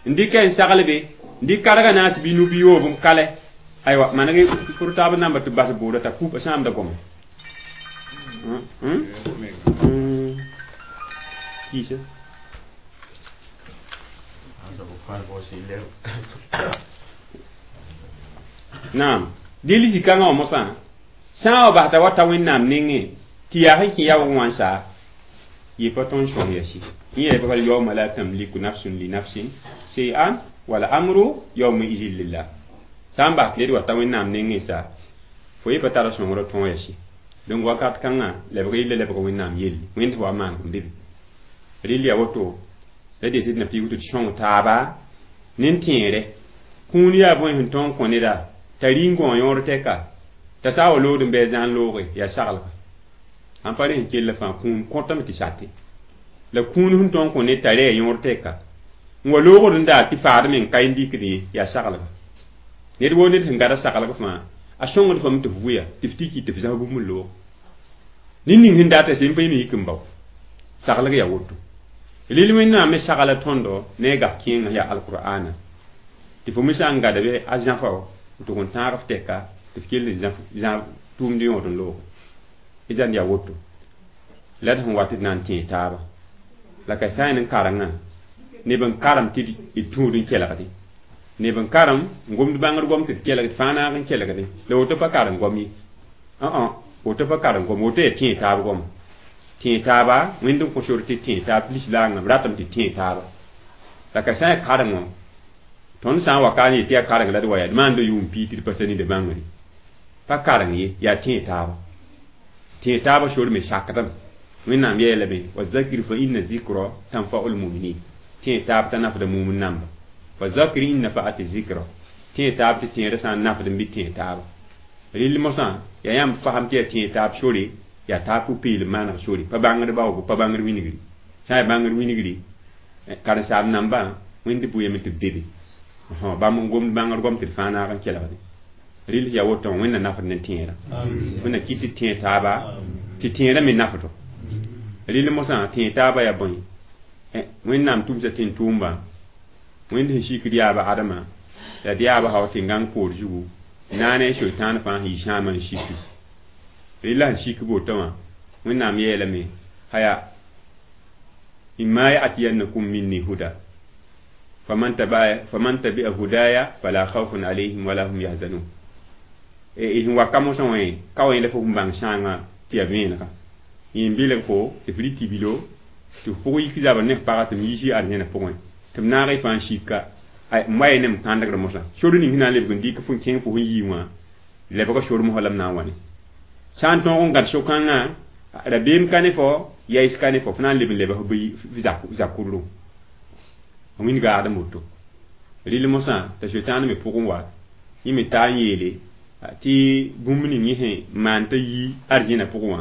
n dɩka n saglbe, n dɩk kargã naas bɩ nu bɩ yoob n kalɛ. Aywa, maneg pʋr taab namba tɩ bas bʋʋda t'a kupa sãamda gome. Kiisa. Naam. Dɩl zĩ-kãngã wã mosã, sã n wa bas t'a wa ta Wẽnnaam nengẽ tɩ yaa sẽn kẽ yaoog wã n saa, yɩ pa tõnd sõng yasi. Yẽ yaa bal yawma la tamliku nafsun li nafsin shay'an wal amru yawma idhin lillah. Sã n bas tɩ ned wa ta Wẽnnaam nengẽ sa, fo yẽ pa tara sõngrã tõog yasi. Donc wakat kãngã lebg yella lebg Wẽnnaam yelle, Wẽnd wa maaneg n be be. Rɩl yaa woto, la dee tɩ d na piig tɩ d sõng taaba ne n tẽere. Kũun yaa bõe sẽn tõog n kõ neda t'a rɩ n gõ yõor tɛka, t'a sã n wa lood n bɩ a zãn looge, yaa saglga. Sãn pa rẽ sẽn kell fãa kũun kõtame tɩ sate. La kũun sẽn tõog n kõ ned t'a rɛɛ yõor tɛka, n wa loogd n daar tɩ faad meng ka n dɩkd ye, yaa saglga. Ned woo ned sẽn gada saglg fãa, a sõngd fame tɩ f wʋya, tɩ f tiki tɩ f zãs bũmb n loog. Nin-ning sẽn data sẽn pa yẽ me yik n bao. Saglg yaa woto. Rɩl Wẽnnaam me sagla tõndo ne a gaf kẽengã yaa alqur'aana. Tɩ fo me sã n gada bɩ a zãfa n tʋg n tãag f tɛka tɩ f kell n zãb tʋʋmd yõod n looge y zãnd yaa woto la d sẽn wat tɩ d na n tẽe taaba la ka sã n n karengã neb n karem tɩ d tũud n kelgde neb n karem n gomd bãngr gom tɩ d kelg tɩ fãa naag n kelgde la woto pa karem gom ye woto pa karem gom woto yaa tẽe taab goma tẽe taaba wẽnd n kõ sor tɩ tẽe taab lislaangã b ratame tɩ tẽe taaba la ka sã n yaa karengõ tõnd sã n wa ka n yetɩ yaa kareng la d wa yaa d maanda yʋʋm piig tɩ d pa sa nida bãngre pa kareng ye yaa tẽe taaba tẽe taaba sor me sakdame wẽnnaam yeelame wa zakir fa inna zikra tanfa'u lmuminin tẽe taab t'a nafda mumn namba fa zakir in nafa'ati zikra tẽe taab tɩ tẽedã sã n nafd n bɩ tẽe taaba rɩl mosã yaa yãmb fasem tɩ yaa tẽe taab sore yaa taab pʋ-peelem maaneg sore pa bãngd baoogo pa bãngd wingri sã n yaa bãngd wingri karen-saam nambã wẽnd bʋyame tɩ b bebe bãmb n gomd bãngd gom tɩ d fãa naag n kelgde rɩl yaa woto wẽnna nafd ne tẽedã wẽnna kɩt tɩ tẽe taaba tɩ tẽedã me nafdo rɩl mosã tẽe taaba yaa bõe wẽnnaam tʋmsa tẽn-tʋʋmba wẽnd sẽn sikd yaaba adama la d yaaba sao tẽn-gãng poor zugu naane soetãan fãa sẽn yi sãamã n siki rɩla sẽn sik boto wã wẽnnaam yeelame haya imma yatiyannakum minni huda faman tabi'a hudaya fala khawfun alayhim wala hum yahzanun sẽn wa ka mosã wã ka wa yẽla fo sẽn bãng sãangã tɩ yaa vẽenega yẽ n belg fo tɩ f rɩ tibilo tɩ f pʋg yik zabr ne f paga tɩ m yiisi arzẽna pʋgẽ tɩ m naag y fãa n sika m wa ne m kãndgr mosã sor ning sẽn na n lebg n dɩk fo n kẽng fo sẽn yii wã lebga sor mosã la m na n wa ne sã n tõog n gãd so-kãngã rabeem ka ne fo yaɩs ka ne fo f na n leb n leba f zakurlu wĩnga adem woto rɩl mosã t'a soetãan me pʋgẽ wa yẽ me taa n yeele tɩ bũmb ning yẽ sẽn maan t'a yi arzẽna pʋgẽ wã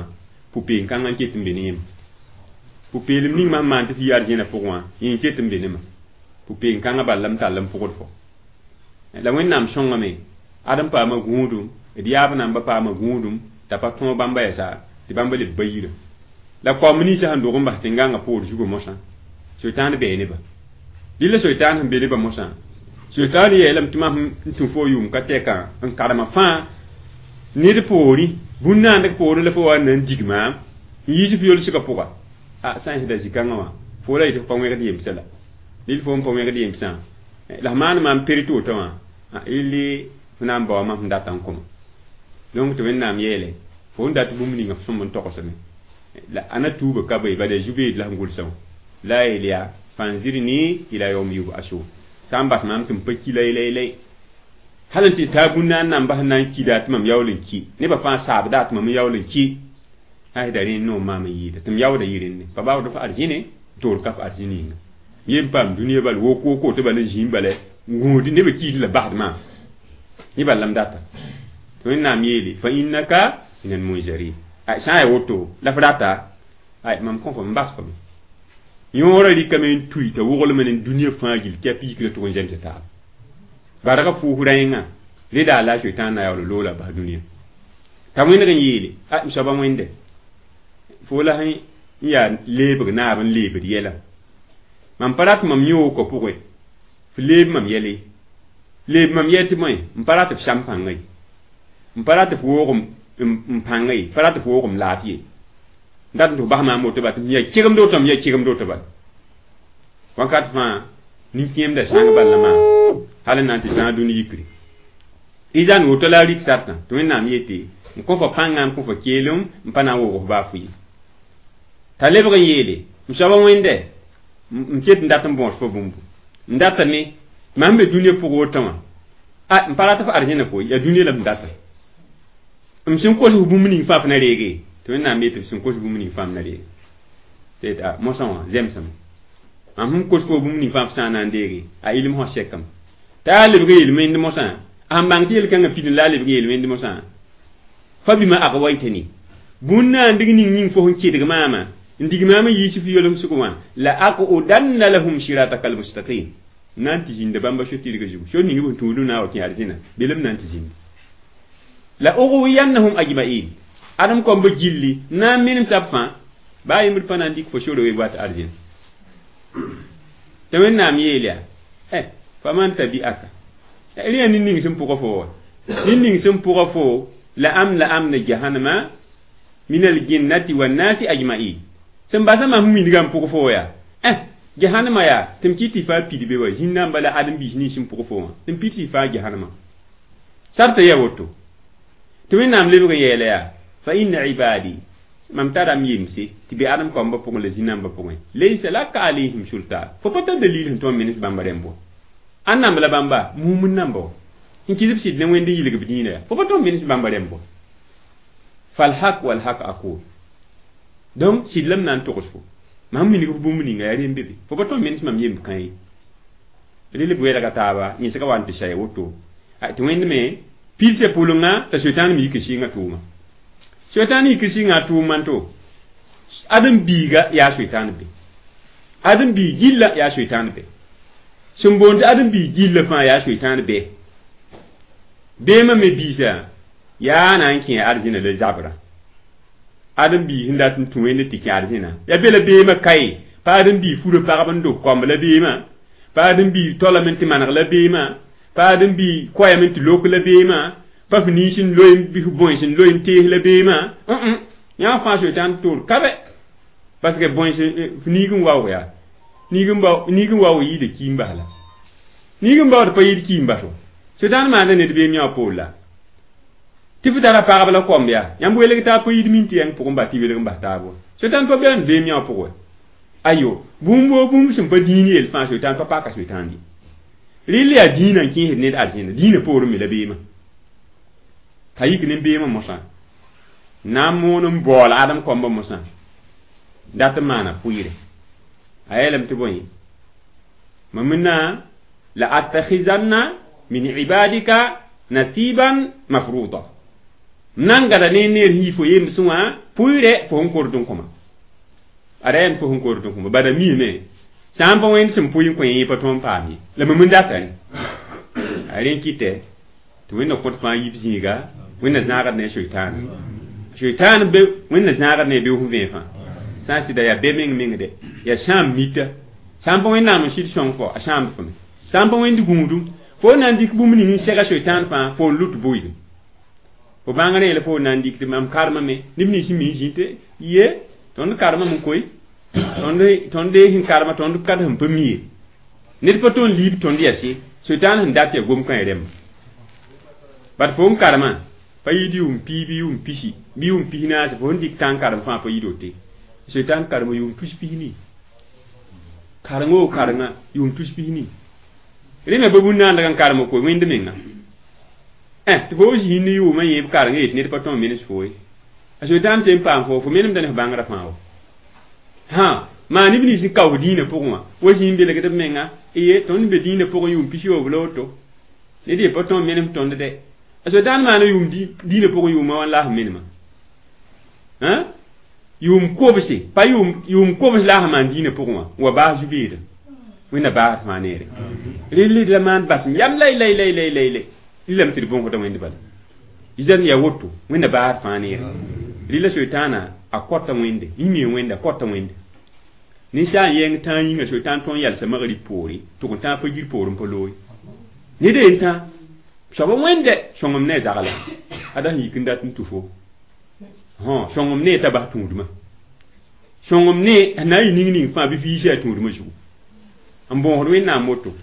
pʋ-peem-kãngã n ket n be ne yẽmb pʋ-peelem ning mam maan tɩ f yi arzẽna pʋgẽ wã yẽ n ket n be ne ma pʋ-peem-kãngã bal la m tall n pʋgd fo la wẽnnaam sõngame ad n paama gũudum d yaab namba paama gũudum t'a pa tõog bãmba yɛsa tɩ bãmba leb bayirã la kaoom ninsã sẽn dog n bas tẽn-gãngã poor zugã mosã soetãan bɛɛ neba dɩla soetãan sẽn be nebã mosã soetãan yeelame tɩ mam n tũ fo yʋʋm ka tɛkã n karema fãa ned poorẽ bũn-naandg poorẽ la fo wa n na n dig maam n yiis f yolsgã pʋga a sã n sɩda zĩ-kãngã wã fo la yetɩ f pa wẽgd yemsã la dɩl fo n pa wẽgd yemsã la f maan maam perit woto wã illi f na n baoa mam sẽn data n kõma donc tɩ wẽnnaam yeele fo n dat bũmb ninga f sõmb n togsame la ãna tuuba ka be bala zu-beed la sẽn gʋlsã wã la yeel yaa fanzirni ila yawm yub'asun sã n bas maam tɩ m pa ki lay hal n tɩ taa bũn-naan namba sẽn na n kida tɩ mam yaool n ki nebã fãa saabda tɩ mam yaool n ki sã da rẽ noom maam n yɩɩda tɩ m yaooda yɩ rẽnde pa baood f arzẽne toor ka f arzẽn yĩnga yem paam dũniyã bal wok woko tɩ bal n zĩim bala gũud nebã kiid la basd maam yẽ bal la m data tɩ wẽnnaam yeele fa innaka min almunzarin sã n yaa woto la f rata mam kõ fo m bas fo me yõorã rɩkame n tui t'a woglme ne dũniyã fãa gill tɩ a piikra tʋg n zems taaba barga fuus rẽengã reda la soetãan na yaool loola bas dũniyã t'a wẽneg n yeele m soaba wẽnde fo la sẽn yaa leebg naab n leebd yɛla mam pa rat mam yõogã pʋgẽ f leeb mam yɛle leeb mam yɛl tɩ bõe m pa rat f sam pãnga ye m pa rat f woog n pãnga ye pa rat f woog m laafɩ ye n dat n tɩ f bas maam woto ba tɩ m yaa kegemd woto m yaa kegemd woto bala wakat fãa nin-kẽemda sãng bal la maa hal n na n tɩ tãag dũni yikre izan woto la a rik sartã tɩ wẽnnaam yete n kõ fo pãngã n kõ fo keelem n pa na n woog f baa fʋ ye t'a lebg n yeele m soaba wẽnde m ket n dat n bõos fo bũmbu n datame mam be dũniyã pʋgẽ wotã wã a m pa rat f arzẽna koe yaa dũniyã la m data m sẽn kos f bũmb ning fãa f na reege tɩ wẽnnaam yetɩ f sẽn kos bũmb ning fãa m na reege tɩ yetɩ mosã wã zemsame mam sẽn kos fo bũmb ning fãa f sã n na n deege a ilm sã sɛkame t'a a lebg yel wẽnd mosã a sẽn bãng tɩ yel-kãngã pidẽ la a lebg yel wẽnd mosã fa bima agwaytani bũn-naandg ning yĩng fo sẽn kedg maama n dig maam n yiis f yolsg wã la aqudanna lahum sirataka almustaqim na n tɩ zĩnda bãmba so-tɩrgã zugu so ning b sẽn tũud na wa kẽ arzẽna belem na n tɩ zĩnd la ughwiyannahum ajma'in adem kõmba gilli na n menem sab fãa baa yembd pa na n dɩk fo sore we wat arzẽna tɩ wẽnnaam yeel yaa faman tabi'aka Rẽ yaa nin-ning sẽn pʋga fo wa nin-ning sẽn pʋga fo la am la jahannama min aljinnati wannasi ajma'in sẽn basa mam wilgã n pʋg fo yaa jahannama yaa tɩ m kɩt tɩ faa pid be wa zĩn-namba la ãdem-biis nins sẽn pʋg fo wã tɩ m pid tɩ faa jahannama sarta yaa woto tɩ wẽnnaam lebg n yeela yaa fa inna ibadi mam tara m yemse tɩ be ãdem kaombã pʋgẽ la zĩ-nambã pʋgẽ laysa laka alayhim sultan fo pa tar dalil sẽn tõnd menes bãmba rẽmb wa ãn namb la bãmba mum n namba wa n kɩs b sɩd ne wẽnd n yilg b dĩinã yaa fo pa tõnd menes bãmba rẽmb wa falhak walhak aqul donc sɩd la m na n togs fo mam minig f bũmb ninga yaa rẽnd be be fo pa tõnd menes mam yemb kã ye rel b wɛlga taaba yẽsga wa n tɩ saya woto tɩ wẽnd me pidsã pʋlenga t'a soetãan me yik n sɩnga tʋʋma soetãan yik n sɩnga a tʋʋm man to ãdem-biiga yaa soetãan be ãdem-biig gilla yaa soetãan be sẽn boond tɩ ãdem-biig gilla fãa yaa soetãan be beemã me biisã yaa na n kẽ arzẽna la zabrã ãdem-biig sẽn dat n tũ wẽnd tɩ kẽ arzẽna yaa be la beemã kae pa ãdem-biig furã pagb n dog kaomb la beemã pa ãdem-biig tolame tɩ maneg la beemã pa ãdem-biig koɛɛm tɩ lok la beemã pa f niis n loe bɩ f bões n loe n tees la beemã yã fãa soetãn toor ka bɛ parce que bões f niig n waoog yaa niig n waoog yɩɩda kiim bas la niig n baood pa yɩɩd kiim baso soetãn maanda ned beem yã wã poor la tɩ f tara pagb la komb yaa yãmb welg t'a pa yid min tɩ yãng pʋgẽ bas tɩ welg n bas taab wa soetãn pa beoond beem yã wã pʋgẽ ayo bũmb woo bũmb sẽn pa dĩin yell fãa soetãn pa paka soetãn ye rɩl yaa dĩinã n kẽesd ned arzẽna dĩinã poorẽ me la beemã t'a yik ne beemã mosã na n moon n baool ãdem koambã mosã dat n maana pʋɩɩre a yeelame tɩ bõe mam na la attakhizanna min ibadika nasiban mafruda m na n gada ne neer yii fo yemsẽ wã pʋɩɩrɛ fo sẽn kord n kõma ada yam fo sẽn kord n kõma bada miime sã n pa wẽnd sẽn pʋɩ n kõ yẽ pa tõnd paam ye la mam n data rẽ a rẽ kɩtɛ tɩ wẽnna kõt fãa yib zĩiga wẽnna zãagd ne soetãana soetãan be wẽnna zãagd ne beoog vẽe fãa sã n sɩda yaa be meng meng de yaa sãam mita sã n pa wẽnnaam n sɩd sõng fo a sãamd fo me sã n pa wẽnd gũudum fo na n dɩk bũmb ning n sɛga soetãan fãa fo n lut bʋɩɩdem fo bãng rẽ la fo na n dɩk tɩ mam karemame neb nins sẽn mi zĩ tɩ ye tõnd karemame n koe tõnd sẽn karema tõnd kad sẽn pa mi ye ned pa tõnd liib tõnd yɛs ye soetãan sẽn dat yaa gom-kãe rẽmba bat fo n karema pa yɩɩd yʋʋm pii bɩ yʋʋm pisi bɩ yʋʋm pis naase fo sẽn dɩk tãn karem fãa pa yɩɩd wote soetãn karema yʋʋm tus pis-nii kareng o karenga yʋʋm tus pis-nii rẽ me pa bũn-naandg n karem koe wẽnd menga tɩ fo zĩ ne yʋʋmã yẽeb kareng yet ned pa tõe n menes fo ye a soetãn sẽn paam fo fo menemda ne f bãngrã fãa wa hã maa neb nins n kaoos dĩinã pʋgẽ wã wa zĩ n belgd b menga ye tõnd be dĩinã pʋgẽ yʋʋm pis-yoob la woto ned ye pa tõe n menem tõnd dɛ a soetãn maana yʋʋm dĩinã pʋgẽ yʋʋmã wã la sẽn menema yʋʋm kobse pa yʋʋm kobs la sẽn maan dĩinã pʋgẽ wã n wa baas zu-beeda wẽnna baasd fãa neere rel la maan basem yam lay lay lay lay lay lay lame tɩ d bõsda wẽnd bala zan ya woto wẽnna baasd fãa neere rɩla soetãana a kɔta wẽnde yĩmee wẽnde a kɔta wẽnde ninsaal yẽng tãa yĩnga soetãan tõnd yalsa magrib poore tʋg n tãag fajir poor n pa looye ned yen tã soab wẽnde sõngem ne a zagla ada sẽn yik n dat n tũ fo sõngem ne t'a bas tũudmã sõngem ne na n yɩ ning ning fãa bɩ fiisã a tũudmã zugu n bõosd wẽnnaam woto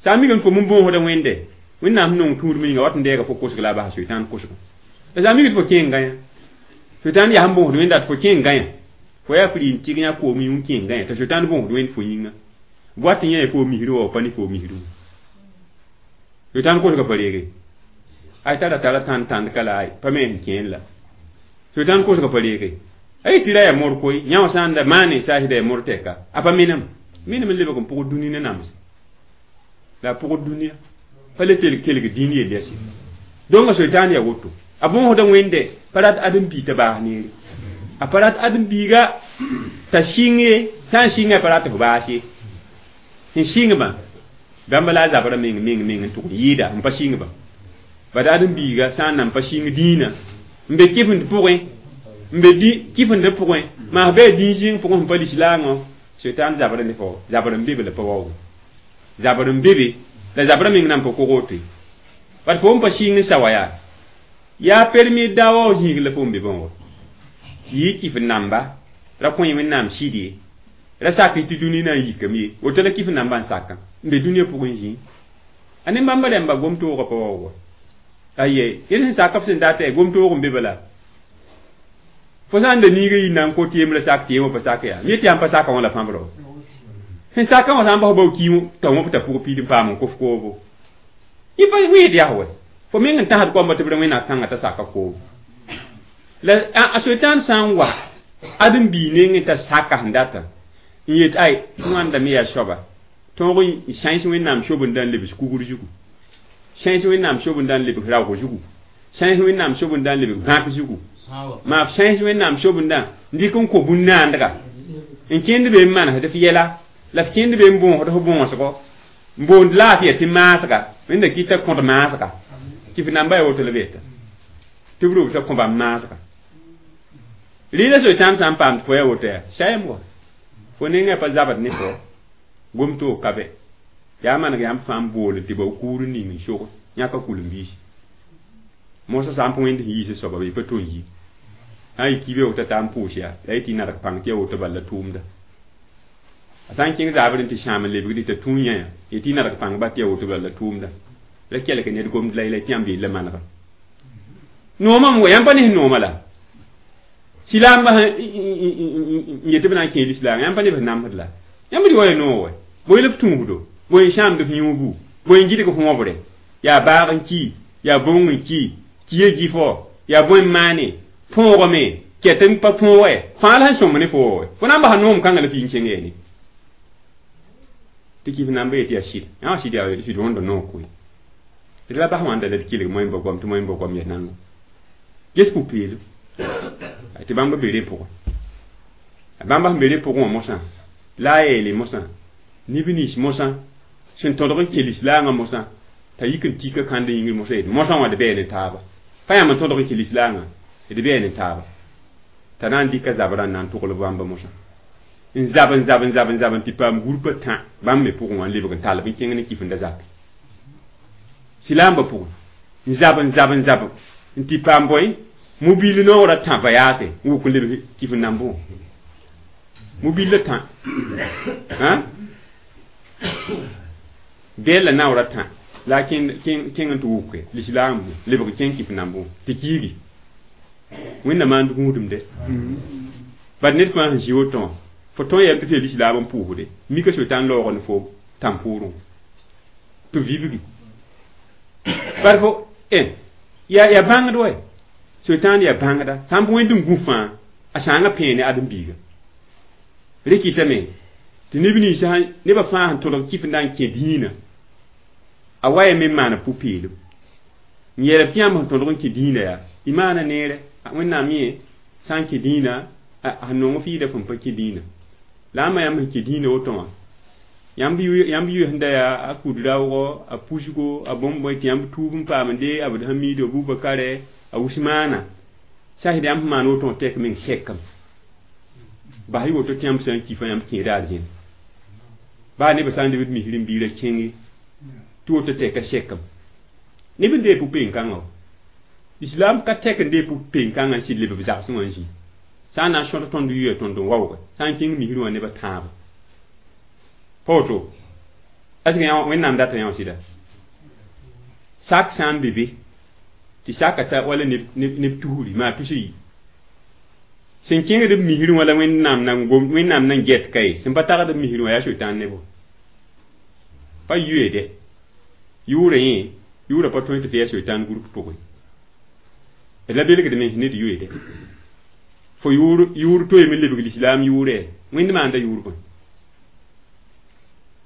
sã n migame fo m bõosda wẽnde wẽnnaam sẽn nong tũudmã yĩnga wat n deega fo kosg la a basa soetãan kosgo la sã n migd fo kẽengã yã soetãan yaa sẽn bõosd wẽnda tɩ fo kẽengã yã fo yaa fri n tɩg yã koom yũ n kẽengã yã t'a soetãan bõosd wẽnd fo yĩnga wat n yã fo misrã wa pa ne fo misrã soetãan kosga pa reege ay tara tara tãnd tãnd ka la ay pa me sẽn kẽen la soetãan kosga pa reege ay tɩ ra yaa mor koe yã wã sã n da maane saasda yaa mor tɛka a pa menem menem n lebg n pʋgd dũni ne nams la a pʋgd dũniyã pa le kelg dĩin yell yɛse donc a soetãan yaa woto a bõosda wẽnde pa rat ãdem-biig t'a baas neere a pa rat ãdem-biiga t'a sɩng ye sã n sɩnga pa rat f baas ye sẽn sɩngbã bãmba la a zabrã meng meng meng n tʋg n yɩɩda n pa sɩngbã bad ãdem-biiga sã n nan pa sɩng dĩinã n be kɩfend pʋgẽ n be kɩfendã pʋgẽ maa f bɩ a dĩin zĩng pʋgẽ sẽn pa lislaangõ soetãan zabra ne fo zabr n be be la pa waoog zabr n be be la zabrã meng nan pa kog woto Bat fo n pa sɩng n sa wa yaa yaa permis dawa zĩig la fo n be bõngo yɩ kɩf namba ra kõ wẽnnaam sɩd ye ra sak tɩ dũni na n yikame ye woto la kɩf namba n sakã n be dũniyã pʋgẽ zĩ a ne bãmba rãmba gom-toogã pa waoog aye yẽ sẽn sak b sẽn data gom-toog n be bala fo sã n da niiga yɩ na n kot yembrã sak tɩ yẽ wã pa sak yaa mi tɩ yãmb pa saka wã la pãbro sẽn sakã wã sã n bas bao ki t'a wõbta pʋg piid n paam n kof koobo yẽ pa wẽed yaa wɛ fo meng n tãsd koamba tɩ b ra wẽnnaam kãngã t'a saka koobo la a soetãan sã n wa ad n bii nengẽ t'a saka sẽn data n yet ay wãndame yaa soaba tõog n sãens wẽnnaam sobenda n lebs kugr zugu sãens wẽnnaam sobenda n lebs raoog zugu sãens wẽnnaam sobenda n lebs gãk zugu maa sãens wẽnnaam sobenda n dɩk n kõ bũn-naandga n kẽnd be n manesd f yɛla la f kẽnd be n bõosd f bõosgo n boond laafɩya tɩ maasga wẽnda kɩta kõd maasga tɩ f namba yaa woto la b yeta tɩ b robsa kõ bãmb maasga rɩɩda soetãam sã n paam tɩ fo yaa woto yaa sayem wa fo nengã pa zabd ne fo gom-toog ka bɛ yaa maneg yãmb fãa n bool tɩ ba kuur n ning n sog yãka kul-n-biisi moosã sã n pa wẽnd sẽn yiis soaba bɩ pa to n yi sã n yɩ kiibe woto t'a n pʋʋs yaa la yetɩ y nadg pãng tɩ ya woto bala la tʋʋmda a sã n kẽng zaabr n tɩ sãam n lebgd t'a tũ yã yetɩ y nadg pãng ba tɩ ya woto bala la tʋʋmda la kelg ned gomd la yɛla tɩ yãmb yella manega noomame wa yãmb pa ne sẽn nooma la silaamba n yetɩ b na n kẽe lislaam yãmb pa ne b sẽn namsd la yãmb d wa ya noog wɛ bõe la f tũusdo bõe n sãamd f yũubu bõe n gɩdg f wõbre yaa baag n ki yaa bõng n ki kiya gifo yaa bõe n maane põogame ket n pa põoge fãa la sẽn sõm ne fo wɛ fo na n basa noom kãngã la f yɩ n kẽng yeene tɩ kɩf namba yetɩ yaa sɩd yã sɩd yaa sɩd wõnda noog koe d la bas wãnda la d kelg moẽmba goam tɩ moẽmba goam yaa nango ges pʋ-peelem tɩ bãmba be rẽ pʋgẽ a bãmba sẽn be rẽ pʋgẽ wã mosã la a yeele mosã neb nins mosã sẽn tõdg n kẽ lislaangã mosã t'a yik n tika kãnd yĩngr mosã yet mosã wã d bɛɛ ne taaba pa yãmb n tõdg n kẽ lislaangã d bɛɛ ne taaba t'a na n dɩka zabrã n na n togl bãmba mosã n zab n zab n zab n zab n tɩ paam gũrpã tã bãmb me pʋgẽ wã n lebg n tall b n kẽng ne kɩf n da zak silaambã pʋgẽ n zab n zab n zab n tɩ paam bõe mobil noorã tã vayaase n wʋk n lebg kɩf n nambẽ wã mobil la tã bɛɛl la naoora tã la a kẽng n tɩ wʋke lislaam lebg kẽng kɩf nambẽ wã tɩ kiigi wẽnna maand gũudum de bad ned fãa sẽn zĩ woto wã fo tõe yam tɩ f yaa lislaam n pʋʋsde mika soetãn laoog ne fo tãn-pʋʋrẽ tɩ vibgi bar fo yaa bãngd wɛ soetãan yaa bãngda sã n pa wẽnd n gũ fãa a sãangã pẽene ãdem-biiga rẽ kɩtame tɩ neb nins nebã fãa sẽn tõdg kɩf n na n kẽ dĩinã a wa ya me n maana pʋ-peelem n yeelb tɩ yãmb sẽn tõdg n kẽ dĩinã yaa y maana neere wẽnnaam yẽ sã n kẽ dĩinã a nong f yɩɩda fõn pa kẽ dĩinã la ãmba yãmb sẽn kẽ dĩinã woto wã yãmb yʋ sẽn da yaa a kud raoogo a pusgo a bõmb tɩ yãmb tuub n paamde a b hamido abubakare a usmaana sasd yãmb sẽn maan woto wã tɛk meng sɛkame bas y woto tɩ yãmb sã n kifã yãmb kẽeda arzẽn baa nebã sã n lebd misr n biirã kẽnge tɩ woto tɛka sɛkame neb n dee pʋ-peen-kãngã wa islam ka tɛk n dee pʋ-peen-kãngã n sɩd leb b zagsẽ wã n zĩ sã n na n sõd tõnd yuya tõnd n waooge sã n kẽng misrẽ wã nebã tãabo pa woto est ce que wẽnnaam data yã wã sɩda sak sã n be be tɩ saka ta wala neb tusri maa tus yi sẽn kẽngd b misrẽ wã la wẽnnaam nan get ka ye sẽn pa tagd b misrẽ wã yaa soetãan nebo pa yʋe yʋʋra yẽ yʋʋra pa tõe tɩ f yaa soetãan gũrp pʋgẽ d la belgdme ned yʋeede fo yʋʋr toeeme lebg lislaam yʋʋrɛ wẽnd maanda yʋʋr bõe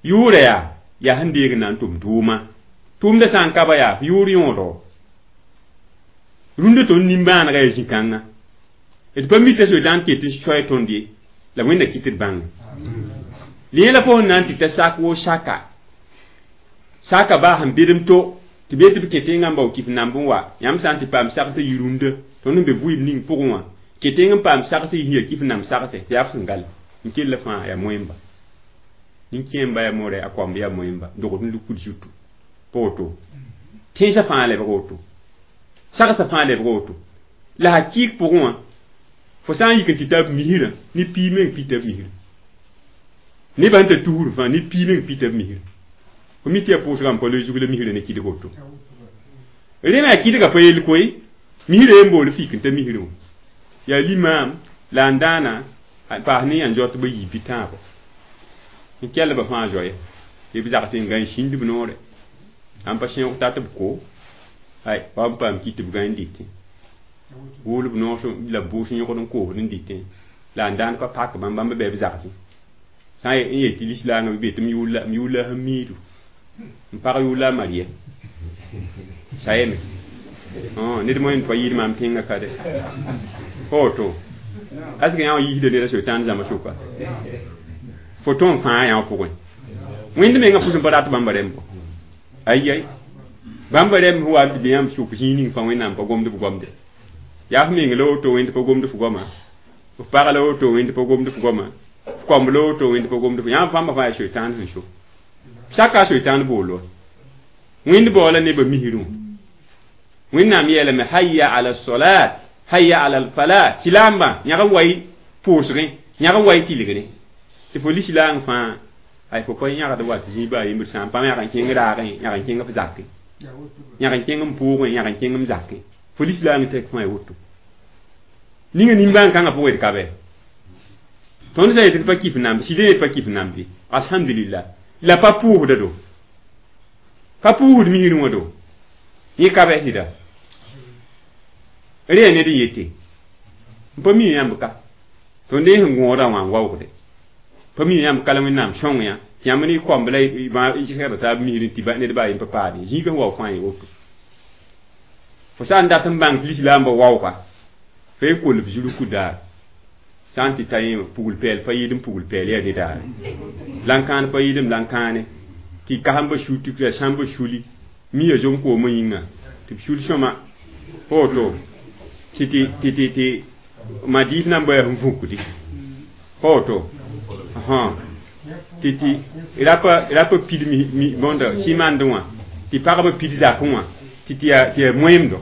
yʋʋra yaa yaa sẽn deeg n na n tʋm tʋʋma tʋʋmda sã n ka ba yaa yʋʋr yõodo rũndã tõnd nimbãanega yaa zĩ-kãngã d pa mita soetãn ket n soɛ tõnd ye la wẽnda kɩt d bãnge lẽ la fo sẽn na n tɩ ta sak woo saka saka baa sẽn bedem to tɩ be tɩ b kẽ tẽngã n bao kɩf namb n wa yãmb sã n tɩ paam sagsã yɩ rũndã tõnd n be vʋɩɩm ning pʋgẽ wã kẽ tẽng n paam sagsã yɩ yaa kɩf namb sagse tɩ yaa f sẽn gal n kell fãa yaa moẽmba nin-kẽemba yaa more a koamb yaa moẽmba dogd n lukud zutu pa woto Tẽnsã fãa lebg woto, sagsã fãa lebg woto. La hakɩɩk pʋgẽ wã, fo sã n yik n tɩ ta b misrã, ne piig meng pita b misrã. Nebã sẽn ta tusr fãa, ne piig meng pita b misrã. Fo mi tɩ yaa pʋʋsgã n pa loe zug la misrã ne kɩdg woto. Rẽ me a kɩdga pa yell koe, misrã yen bool fik n ta misrã wã. Yaa limaam la n dãana paas ne yãn zaot ba yiib bɩ tãabo. N kell ba fãa zoe, tɩ b zags n gã n sĩnd b noore. Ãmb pa sẽog tat b ko, ay wa b paam kɩ tɩ b gã n dɩtẽ. Wʋʋl b noor la b bʋʋs yõgd n koosd n dɩtẽ. La n dãan pa pak bãmb, bãmb bɩ b zagsẽ. Sã n yet tɩ lislaangã bɩ be tɩ m yʋʋr la sẽn miidu. M pag yʋʋr la a Maria. Sayame. Ned moẽ pa yɩɩd maam tẽngã ka dɛ. Fa woto. Est-ce que yã wã yiisda neda soetãan zãma sʋka? Fo tõnd fãa yã wã pʋgẽ. Wẽnd mengã pʋs n pa rat bãmba rẽmb. Ay ay. Bãmba rẽmb sẽn wa n tɩ be yãmb sʋk zĩig ning fãa Wẽnnaam pa gomd b gomde. Yaa f meng la woto wẽnd pa gomd f goama. F pag la woto wẽnd pa gomd f goama. F kõmb la woto wẽnd pa gomd f. Yãmb bãmba fãa yaa soetãan sẽn so. Saka soetãan bool wa. Wẽnd baoola nebã misrẽ wã. Wẽnnaam yeelame hayya ala salat, hayya ala al falah. Silaambã yãg n wa y pʋʋsgẽ, yãg n wa y tɩlgrẽ. Tɩ fo lislaang fãa, ay fo pa yãgd wa tɩ zĩig baa yembr sã n paam yãg n kẽng raagẽ, yãg n kẽng f zakẽ. Yãg n kẽng m pʋʋgẽ, yãg n kẽng m zakẽ. Fo lislaang tɛk fãa ya woto. Ninga nimbãan-kãngã pʋgẽ d ka bɛ. Tõnd sã yetɩ d pa kɩf namb, sɩd yet pa kɩf nambe. Alhamdulillah. La pa pʋʋsda do. Pa pʋʋsd misrẽ wã do. Yẽ ka bɛ sɩda. Rẽ ned n yete. N pa mi yãmb ka. Tõnd sẽn gõodã wã n waoogde. Pa mi yãmb ka la Wẽnnaam sõng yã. Tɩ yãmb ne kõmb la y segda taab misrẽ tɩ ned baa yen pa paade. Zĩigã sẽn wao fãa ye woto. Fo sã n dat n bãng tɩ lislaambã waooga, fa y kol b zulku daar. Sã n tɩ ta yẽ pugl pɛɛl pa yɩɩd n pugl pɛɛl yaa nedaare. Lãn-kãan pa yɩɩd m lãn-kãane. Tɩ kasembã sul tɩ la sãmbã suli. Mi ya zom koomã yĩnga. Tɩ b sul sõma. Fa woto. Tɩ tɩ tɩ tɩ madiif nan bã yaa sẽn vũkdi. Fa woto. Tɩ tɩ rapa pid mi bõnda simandẽ wã. Tɩ pagba pid zakẽ wã. Tɩ tɩ yaa moẽmdo.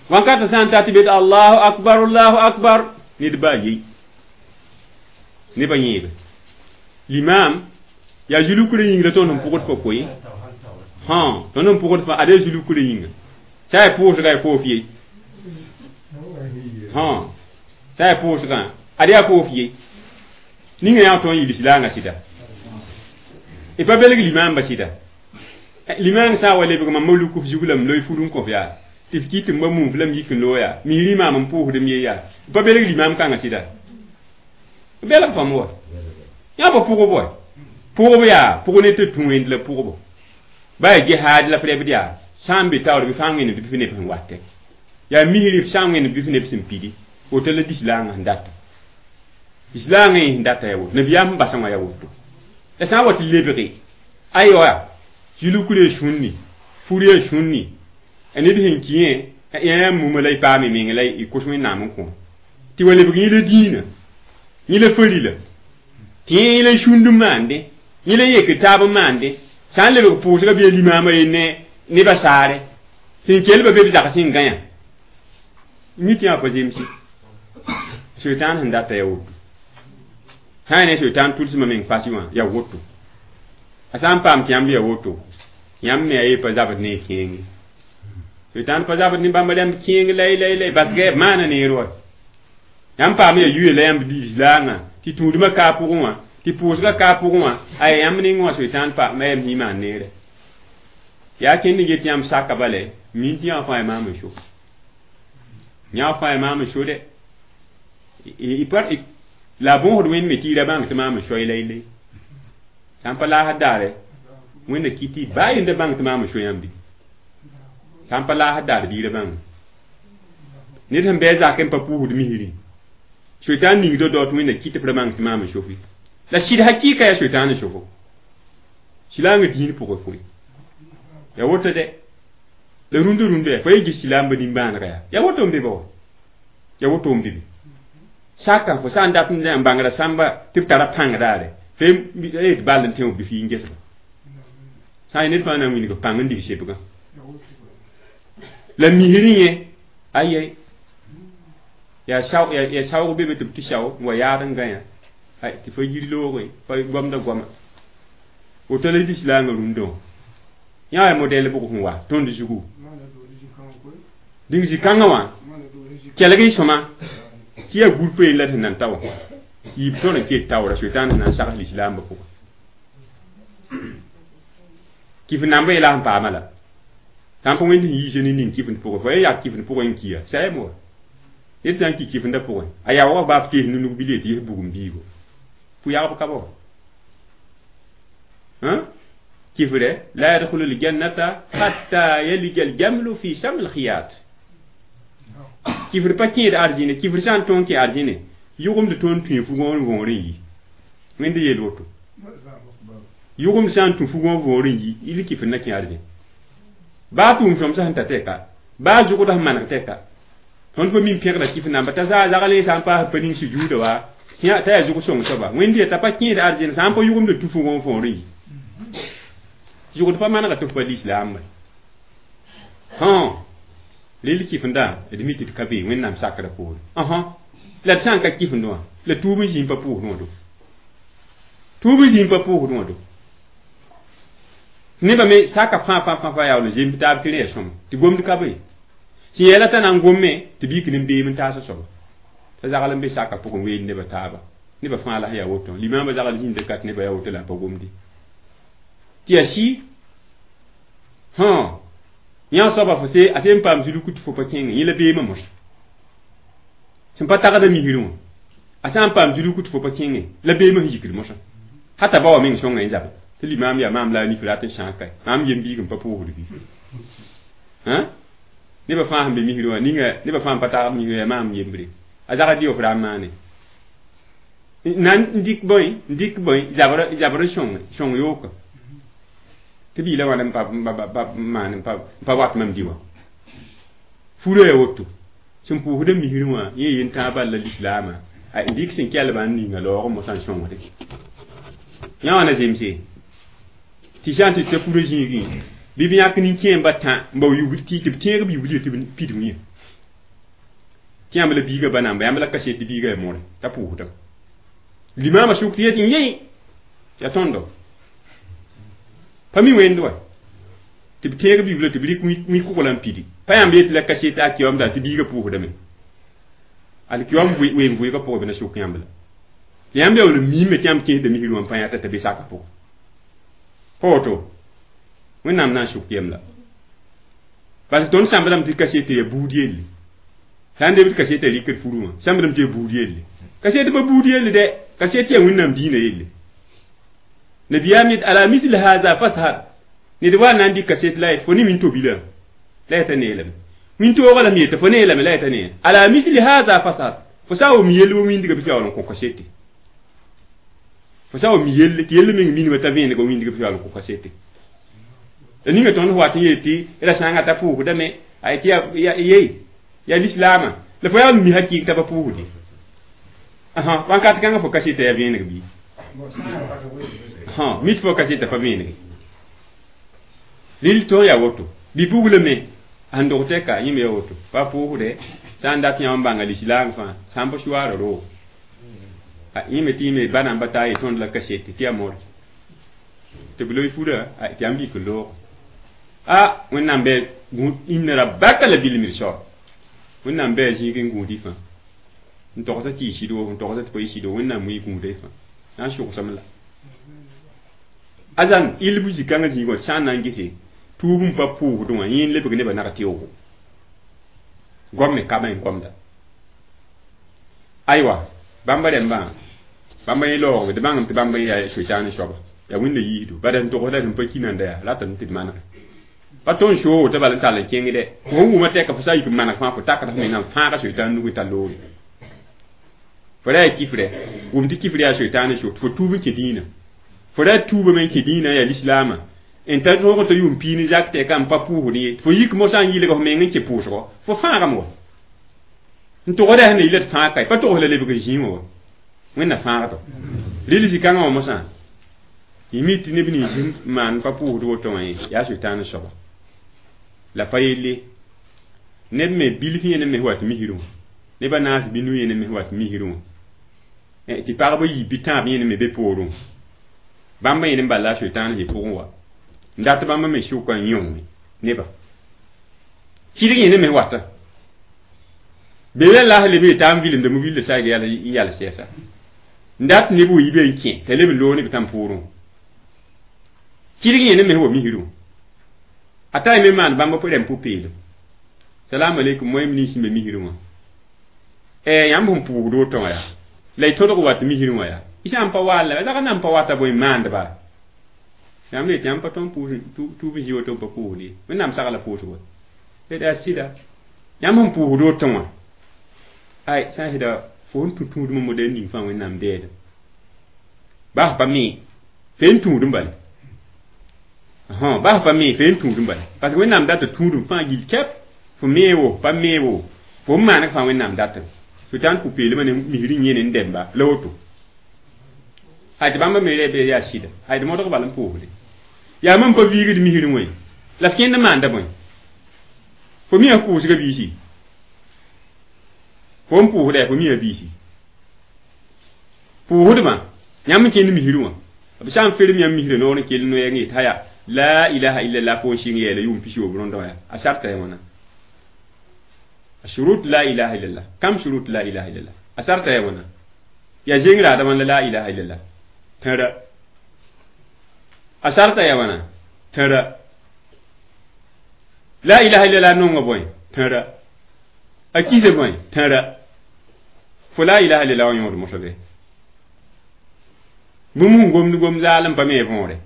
Wankata sã n ta tɩ bet Allahu akbar, Allahu akbar, ned baa yei. Nebã yẽebe. Limaam yaa zulukra yĩng la tõnd sẽn pʋgd fa koe. Tõnd sẽn pʋgd fa ad yaa zulukra yĩnga. Sã yaa pʋʋsga yaa fof ye. Sã yaa pʋʋsgã ad yaa fof ye. Ninga yã tõnd yɩ lislaangã sɩda. Y pa belg limaambã sɩda. Limaang sã n wa lebg mam luk f zug la m loe fur n kõ f yaa. Tɩ f kɩt n ba mum f la m yik n loog yaa. Misrẽ maam n pʋʋsdem ye yaa. Pa belg limaam kãngã sɩda. Belg pãmb wa. Yã pa pʋgb wa. Pʋgb yaa, pʋg ne tɩ tũ wẽnd la pʋgbo. Ba yaa jihaad la f rebd yaa. Sã n be taoor bɩ fãa wẽnnaam bɩ f neb sẽn watɛ. Yaa misrẽ f sã n wẽnnaam bɩ f neb sẽn pidi. Woto la lislaangã sẽn data. Lislaangã sẽn data yaa woto. Nabiyaam sẽn basã wã yaa woto. La sã n wa tɩ lebge, aywa, zulukr sũnni, fur yaa sũnni, ned sẽn kɩ yẽ, yã mumã la y paame meng la y kos Wẽnnaam n kõ. Tɩ wa lebg yẽ la dĩinã, yẽ la farila, tɩ yẽ la sũnd n maandẽ, yẽ la yek taab n maandẽ, sã n lebg pʋʋsgã bɩ limaamã ye ne nebã saare, sẽn kelba be b zags n gã yã. Mi tɩ yã pa zemse. Soetãan sẽn data yaa woto. Sã n ne soetãan tʋlsmã meng fasɩ wã yaa woto. A sã n paam tɩ yãmb yaa woto, yãmb me a ye pa zabd ne kẽenge. Soetãan pa zabd ne bãmba rãmb kẽeng lay lay lay basgɛ b maana neer wa. Yãmb paam yaa yuya la yãmb lislaangã tɩ tũudmã kaa pʋgẽ wã, tɩ pʋʋsgã kaa pʋgẽ wã, ay yãmb ning wã soetãan pa ma yam maan neere. Yaa kẽnd n get yãmb saka bale, min tɩ yã fãa ya maam n so. Yã fãa ya maam n so dɛ. La bõosd wẽnd me tɩ y ra bãng tɩ maam n soay lay lay. Sã n pa laasd daare, wẽnna kɩ tɩ baa yenda bãng tɩ maam n so yãmb bɩ. Sã n pa laasd daar bɩ y ra bãng. Ned sẽn bɩ a zak n pa pʋʋsd misrẽ. Soetãan ning dɔ tɩ wẽnna kɩ tɩ f ra bãng tɩ maam n sofi. La sɩd hakɩɩka yaa soetãan n sofo. Silaangã dĩin pʋgẽ foe. Ya woto dɛ. La rũndã rũndã yaa, fa ye ges silaambã nimbãanega yaa. Ya woto n be ba wa. Ya woto n be be. Saka fo sã n dat n bãngra sãmba tɩ b tara pãng daare. Fa ye tɩ ball n tẽ bɩ f yɩ n gesba. Sã n ned fãa na n wilg pãng n dig sebgã la misrẽ yẽ ayɛ yaa saoog be be tɩ b tɩ sao n wa yaad n gã yã tɩ fa yir looge pa gomda goama woto la lislaangã rũndã wã yã yaa modɛl bʋg sẽn wa tõnd zugu dĩng zĩ-kãngã wã kelg y sõma tɩ yaa gũrpã la d sẽn nan ta wã yiib tõr n ket taoora soetãan sẽn na n sags lislaambã pʋgẽ kɩf nambã yela sẽn paama la sã n pa wẽnd sẽn yiisa ne ning kɩfend pʋgẽ fo yaa yak kɩfend pʋgẽ n kia sayam wa ned sã n ki kɩfendã pʋgẽ a yaoogã baaf tees nunug bile tɩ yes bugum biigo pʋ-yagb ka ba kifre la yadkhulu aljannata hatta yalija aljamlu fi sam alkhiyat kifr pa kẽed arzĩne kifr sã n tõog kẽ arzĩne yʋgemd tõnd tũ fugõ n võor n yi wẽnd yeel woto yʋgemd sã n tũ fugõ võor n yi il kifr na kẽ arzĩ baa tʋʋm sõm sẽn ta tɛka baa zʋgda sẽn maneg tɛka tõnd pa min pẽgda kifr namba t'a zagl sã n paas pa ning sujuuda wa t'a yaa zʋg sõng soaba wẽnd t'a pa kẽed arzĩne sã n pa yʋgemd tũ fugõ võor n yi zʋgd pa manega tɩ f pa lislaam rel kifenda d mi tɩ d ka be wẽnnaam sakrã poore la d sã n ka kifend wã la tuub n zĩig pa pʋʋsd wã do tuub n zĩig pa pʋʋsd wã do nebã me saka fãa fãa fãa fãa yaool n zemb taab tɩ rẽ ya sõma tɩ gomd ka be sẽn yɛla t'a na n gomme tɩ bik n beem n taas soaba t'a zagl n be saka pʋgẽ ween nebã taaba nebã fãa la sẽn yaa woto limaambã zagl zĩnda kat nebã yaa woto la a pa gomde tɩ yaa sɩ yã soaba fo se a sẽn paam zuluk tɩ fo pa kẽngẽ yẽ la beemã mosã sẽn pa tagda misrẽ wã a sã n paam zuluk tɩ fo pa kẽngẽ la beemã sẽn yikd mosã hata ba wa meng sõnga n zabe tɩ limaam yaa maam la a nif rat n sãag kae maam yem biig n pa pʋʋsd bɩ nebã fãa sẽn be misrẽ wã ninga nebã fãa n pa tagd misrẽ yaa maam yembre a zagd dɩ f ra n maane na n dɩk bõe n dɩk bõe zabr n sõng yooka tɩ biila wãna n maan n pa wat mam dɩ wã furã yaa woto sẽn pʋʋsda misrẽ wã yẽ yen tãag bal la lislaamã n dɩk sẽn kelbã n ninga laoog mosã n sõngde yã wã na zemse tɩ sã n tɩ t'a furã zĩigẽ bɩ b yãk nin-kẽembã tã n bao yubl tɩ b tẽeg b yubl tɩ b pidg yẽ tɩ yãmb la biigã ba namba yãmb la kaset tɩ biigã yaa more t'a pʋʋsdame limaamã sʋk tɩ yet n yẽ yaa tõndo pa mi wẽnd wa tɩ b tẽeg b yubla tɩ b rɩk wĩ-kʋgla n pidi pa yãmb yetɩ la kaset a kiyoamda tɩ biigã pʋʋsdame alkiyoam ween vʋɩgã pʋgẽ b na sʋk yãmb la yãmb yaool n miime tɩ yãmb kẽesda misrẽ wã n pa yãta t'a be sakã pʋgẽ pa woto wẽnnaam na n sʋk yem la parce que tõnd sãmbdame tɩ kaset yaa buud yelle sã n deb tɩ kaset rɩkd furu wã sãmbdame tɩ yaa buud yelle kaset pa buud yelle dɛ kaset yaa wẽnnaam diinã yelle nabiyaam yet ala misl haza fashar ned wa na n dɩk kaset la yet fo ne wĩnto-bilã la yeta neelame wĩntoogã lame yeta fo neelame la yeta nee ala misli haza fashar fo sã n wʋm yell wa wĩndgã bɩ tɩ yaool n kõ kasete fo sã n wʋm yelle tɩ yell meng minimã t'a vẽenega wĩndgã bɩ tɩ yaool n kõ kasete la ninga tõnd wat n yeel tɩ ra sãngã t'a pʋʋsdame ay tɩ ye yaa lislaamã la fo yaa n mi hakɩɩg t'a pa pʋʋsde wãnkat kãngã fo kaseta yaa vẽeneg bɩ mit fo kaseta pa vẽenege rɩl tõog yaa woto bɩ buglame sẽn dog tɛka yẽme yaa woto pa pʋʋsdɛ sã n dat yã n bãnga lislaam fãa sã n pa suaara roog yẽme tɩ yẽme ba namba taa ye tõnd la kasete tɩ yaa more tɩ b loe furã tɩ yãmb yik n loog a wẽnnaam bɩ inna rabbaka la bil mirsad wẽnnaam bɩ a zĩig n gũud y fãa n togsa tɩ y sɩd wo n togsa tɩ pa y sɩd wo wẽnnaam wi gũuda y fãa na n sʋgsame la azan ilbu zĩ-kãngã zĩig wã sã n na n gese tuub n pa pʋʋsdẽ wã yẽ n lebg nebã nag teoogo gom me ka n gomda aywa bãmba rẽmbã bãmba yẽ laoogbe d bãngame tɩ bãmb yaa soetãan soaba yaa wẽnda yiisdo bala sẽn togsda sẽn pa kinanda yaa ratame tɩ d manege pa tõnd soog tɩ bal n tall n kẽngdɛ fo wʋma tɛka fo sã n yik n maneg fãa fo takd f mengã n fãaga soetãan nug n tar loore fo ra yaa kifrɛ wʋm tɩ kifr yaa soetãan so tɩ fo tuub n kẽ dĩinã fo ra tuubame n kẽ dĩinã yaa lislaamã n ta tõog t'a yʋʋm piig ne zak tɛka n pa pʋʋsd ye fo yik mosã n yɩlg f meng n kẽ pʋʋsgɔ fo fãagame wa n togsda sẽn yɩla d fãag kae pa togs la lebg zĩig wã wa wẽnna fãagdo rɩl zĩ-kãngã wã mosã Y mi tɩ neb nins n maan pa pʋʋsd woto wã ye yaa sʋtãan soaba la pa yelle neb me bilf yẽne me wat misrẽ wã neb a naas binu yẽne me wat misrẽ wã tɩ pagba yiib bɩ tãab yẽne me be poorẽ bãmba yẽne n bala a sʋtãan zĩ pʋgẽ wa n dat bãmba me sʋka n yõnge neba kɩdg yẽne me wata bee la la leb yeta n vilemda mu-bilda saag n yals sɛɛsa n dat neb wa yibe n kẽ t'a leb n loog neb tãm poorẽ kɩdg yẽne me wa misrẽ a ta me maan bãmba rẽm pʋ-peelem salam aleykum moẽm nins sẽn be misrẽ wã yãmb sẽn pʋʋgd woto wã yaa la y tõdg wat misrẽ wã yaa y sã n pa waal la rag n pa wata bõe maandba yãmb le tɩ yãmb pa tõnd tuub n zĩ woto n pa pʋʋsd ye wẽnnaam sagla pʋʋsgo d yaa sɩda yãmb sẽn pʋʋsd woto wã ay sã n sɩda fo sẽn tũ tũudmã modɛl ning fãa wẽnnaam bɛɛda bas pa me fe n tũud n bale bas pa me fe n tũud n bale parce que wẽnnaam data tũudum fãa gill kɛp fo meebo pa meebo fo n maaneg fãa wẽnnaam datame sʋtãan pʋ-peelmã ne misr n yẽne n dɛmba la woto ay tɩ bãmba me rɛ bee yaa sɩda ay d modg bal n pʋʋsde yaa mam pa viigd misrẽ wẽ la f kẽnd maanda bõe fo mi a pʋʋsga biisi fo n pʋʋsda fo mi a biisi pʋʋsdmã yãmb n kẽnd misrẽ wã b sã n ferem yãmb misrã noor n kell noɛɛg n yet haya la ilaha illallah fo n sɩng yɛɛla yʋʋm pisoobr rõndã wã a sarta ya wãna shurut la ilaha illallah kam shurut la ilaha illallah a sarta ya wãna ya zeng raadã wãn la ilaha illallah tẽra a sarta ya wãna tẽra la ilaha illallah nonga bõe tẽra a kisa bõe tẽra fo la ilaha illallah wã yõod mosã be bũmb sẽn gomd gom zaalem pa me võore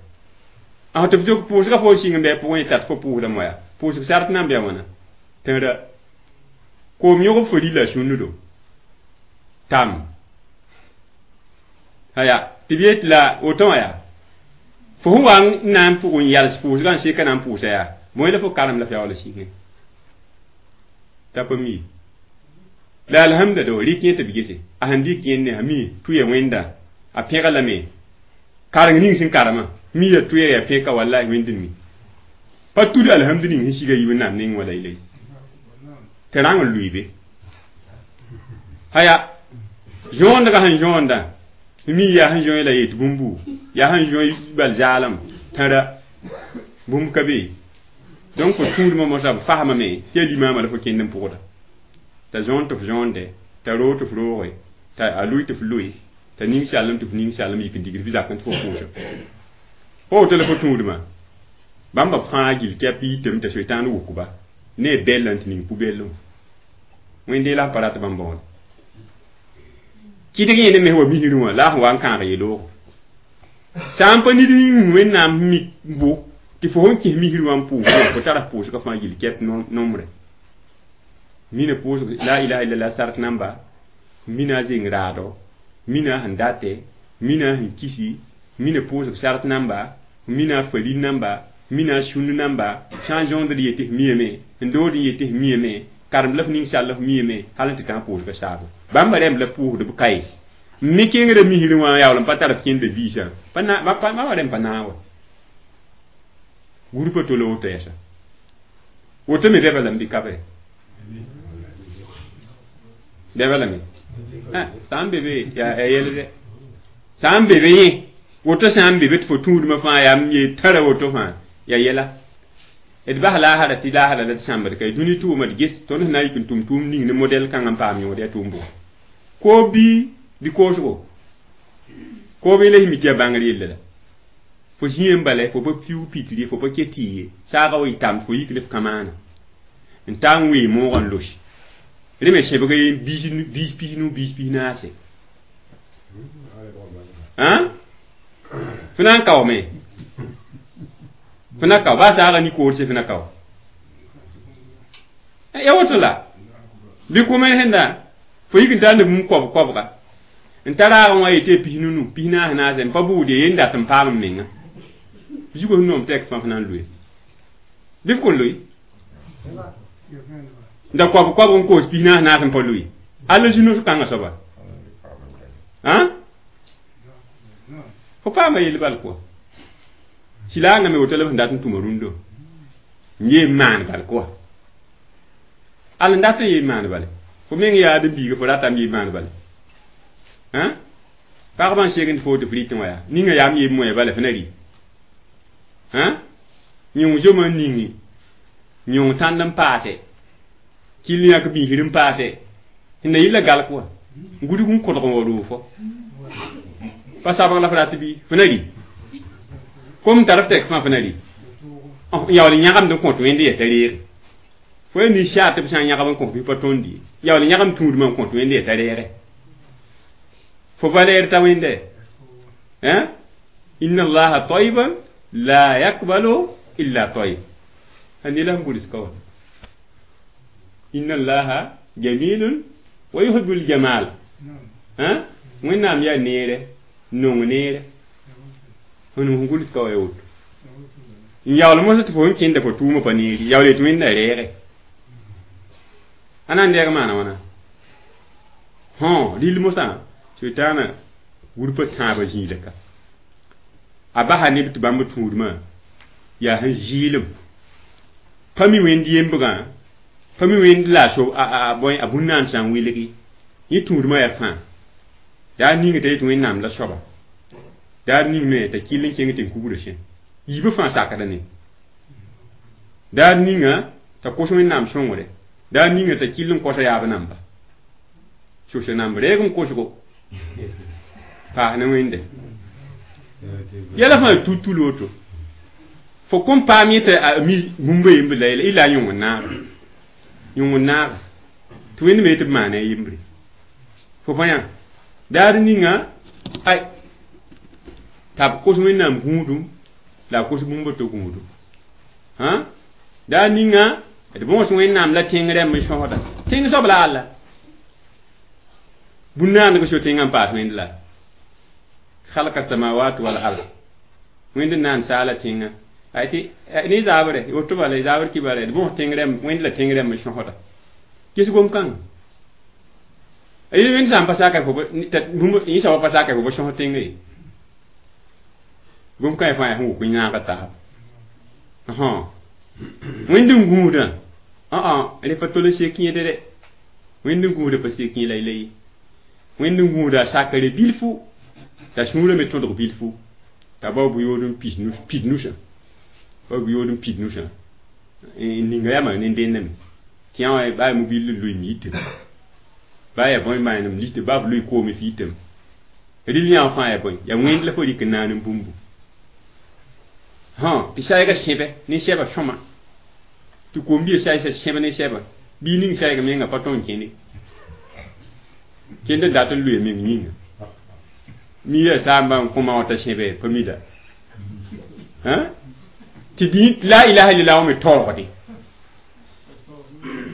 a tɩ f pʋʋsga fo n sɩng n bɩ pʋgẽ tat fo pʋʋsda moya pʋʋsg sart nan bɩa wãna tẽra koom yõgb fo rila sũnnudo tam aya tɩ b yet la woto wã yaa fo sẽn wa n na n pʋg n yals pʋʋsgã n seka na n pʋʋsa yaa bõe la fo karem la f yaool sɩngẽ t'a pa mi la alhamda do rɩk yẽ tɩ b gese a sẽn dɩk yẽnde a mi tʋya wẽnda a pẽga lame kareng ning sẽn karema mi ya tʋya ya pẽka wallahi wẽnd n mi pa tud alhamdu ning sẽn siga yi wẽnnaam neng wã la yele tɩ rãng n lʋɩ be haya zõondga sẽn zõonda mi yaa sẽn zõe la yet bũmbu yaa sẽn zõe bal zaalem tãra bũmb ka be donc fo tũudmã mosã b fasmame tɩ ya limaamã la fo kẽnd n pʋgda t'a zõond tɩ f zõonde t'a roog tɩ f rooge t'a a lʋɩ tɩ f lʋɩ t'a ning sallem tɩ f ning sallem yik n digd f zakẽ tɩ fo pʋʋsa fo woto la fo tũudmã bãmba fãa gill kɛp yitame t'a soetãan wʋkba ne bɛllã n tɩ ning pu-bɛllẽ wẽnde la pa rat bãmb bõod kɩdg yẽne me wa misrẽ wã la a sẽn wa n kãag yeloogo sã n pa nid ning wẽnnaam mik bo tɩ fo sẽn kẽs misrẽ wã n pʋʋsdã fo tara pʋʋsgã fãa gill kɛp nombre mina pʋʋsg la ilaha illallah sart namba mina a zeng raado mina sẽn date mina sẽn kisi mina pʋʋsg sart namba mina a falin namba mina a sũnd namba sã n zõond d yetɩ f miyame n dood n yetɩ f miyame karem la f ning sall f miyame hal n tɩ tã pʋʋsga saabo bãmba rẽmb la pʋʋsd b kaye n me kẽngrã misrẽ wã yaool n pa tar f kẽnda biisã bãmba rẽmb pa naag wa gurpa tole woto yɛsa woto me bɛba lame bɩ ka be bɛba lame sã n be be yaa yɛlde sã n be be yẽ woto sã n be be tɩ fo tũudmã fãa yaa n ye tara woto fãa yaa yɛla d bas laasra tɩ laasra la d sãmbd ka dũni tʋʋma d ges tõnd sẽn na n yik n tʋm tʋʋm ning ne modɛl kãngã n paam yõod yaa tʋʋm bʋga koob bii bɩ koosgo koob yẽla sẽn mi tɩ yaa bãngr yella la fo zĩe n bala fo pa piuug pitr ye fo pa ke tɩ ye saagã wa y tam fo yik ne f kamaana n taa n wee moogã n los rẽ me sẽbg biis pisnu biis pisnaase fo na n kaoome fo na kao baa saagã ni koorse fo na kao ya woto la bɩ kʋme sẽnda fo yik n tar ne bũmb koab koabga n ta raagã wã yetɩ pisnunu pisnaas naase n pa bʋʋd ye yen dat n paam n menga zugo sẽn noom tɛk fãa f na n loe bɩ f kõn loe da koab koabg n koos pisnaas naas n pa loe alla zũ-noos kãngã soaba fo paama yel bal kɔa Silaangã me woto la b sẽn dat n tũma rũndã n yee n maan bal kʋa al n dat n yee n maan bale fo meng yaa adem-biiga fo ratame yee n maan bale pagba n segend fo tɩ f rɩtẽ wã yaa ninga yaam yee moya bala f na rɩ yõng zomã n ningi yõng tãnd n paase kɩll yãk biisd n paase sẽn na yɩla galk wã gudg n kõdg n wa roog fo pa sabg la f rat bɩ f na rɩ kom tar f tɛk fãa f na rɩ n yaool n yãgemd n kõt wẽnd yaa t'a reege fo yaa nin-saar tɩ b sã n yãgb n kõs bɩ pa tõnd ye yaool n yãgem tũudmã n kõt wẽnd yaa t'a reege fo valɛɛr t'a wẽnde inna allaha tayiban la yakbalu illa tayib a ne la sẽn gʋls ka wã inna allaha jamilun wa yuhibbul jamal wẽnnaam yaa neere nong neere sẽn gʋls ka wã ya woto n yaool mosã tɩ fo sẽn kẽnda fo tʋʋmã pa neeri yaool yetɩ wẽnda reege a na n deeg maana wãna rɩl mosã sʋɩtaanã wurpã tãabã zĩila ka a basa neb tɩ bãmb tũudmã yaa sẽn zɩɩlem pa mi wẽnd yembgã pa mi wẽnd la a bõe a bũn-naan sã n wilgi yẽ tũudmã yaa fãa yaa ninga t'a yetɩ wẽnnaam la soaba daar ning me t'a kɩll n kẽng tɩ n kugrã sẽ yiibã fãa sakda ne daar ninga t'a kos wẽnnaam sõngre daar ninga t'a kɩll n kosa yaab namba sosa namb reeg n kosgo paas ne wẽnde yɛla fãa tutul woto fo kõn paam yẽ t'a mi bũmba yemb la illa yõng n naag yõng n naag tɩ wẽnd me tɩ b maana a yembre fo pa yã daar ninga ay t'a b kos wẽnnaam gũudum la a kos bũmba to gũudum daar ninga d bõos wẽnnaam la tẽng rãmb n sõsda tẽng soab la alla bũn-naandg so tẽngã n paas wẽnd la khalqa samawat wal ard wẽnd n naan saala tẽngã ay tɩ ne zaabre woto bala zabr kɩ bala d bõos tẽng rãmb wẽnd la tẽng rãmb n sõsda ges gom-kãng wẽnd sã n pa saka fo yẽ soaba pa saka fo ba sõs tẽngã ye gom-kãng fãa yaa sẽn wʋk yãaga taab wẽnd n gũudã rẽ pa tol n sek yẽd dɛ wẽnd n gũudã pa sek yẽ la la ye wẽnd n gũuda a sakre bilfu t'a sũurã me tõdg bilfu t'a bao bʋ-yood n pid nusã bao bʋ-yood n pid nusã n ninga yamã ne dẽndame tɩ yã wã baa mobil n loe miitem baa yaa bõe manem lite baa b loe koome fiitem rɩl yã fãa yaa bõe yaa wẽnd la fo rɩk n naan n bũmbu tɩ saɛga sẽbɛ ne sɛba sõma tɩ kom-biã saɛsa sẽb ne sɛba bii ning saɛg menga pa tõe n kẽne kẽnd n dat n loe meng yĩnga mi yaa saamba n kõma wã t'a sẽbe pa mida tɩ dĩ la ilaha illallah wã me taoogde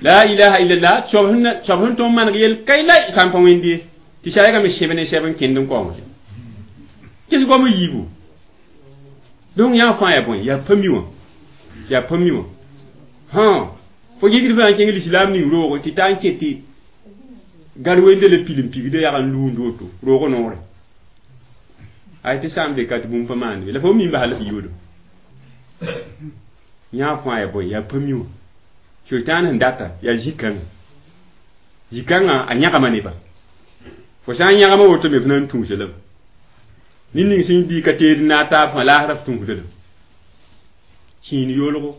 la ilaha illallah soab sẽn tõnd maneg yel kai la sã n pa wẽnd ye tɩ saɛga me sẽb ne sɛb n kẽnd n kaoongse ges goam yiibu donc yã fãa yaa bõe yaa pa mi wã yaa pa mi wã fo yigd fãa n kẽng lislaam ning roogo tɩ taa n ket tɩ gar wende la pilim pigda yag n luund woto roog noore ay tɩ sã n be ka tɩ bũmb pa maand be la fo mi n basa la f yoodo yã fãa yaa bõe yaa pa mi wã soitaan sẽn data yaa zĩ-kãngã zĩ-kãngã a yãgama neba fo sã n yãgama woto me f na n tũusa lame ned ning sẽn bɩ ka teed n naag taab fãa laasra f tũusda lame kĩin yolgo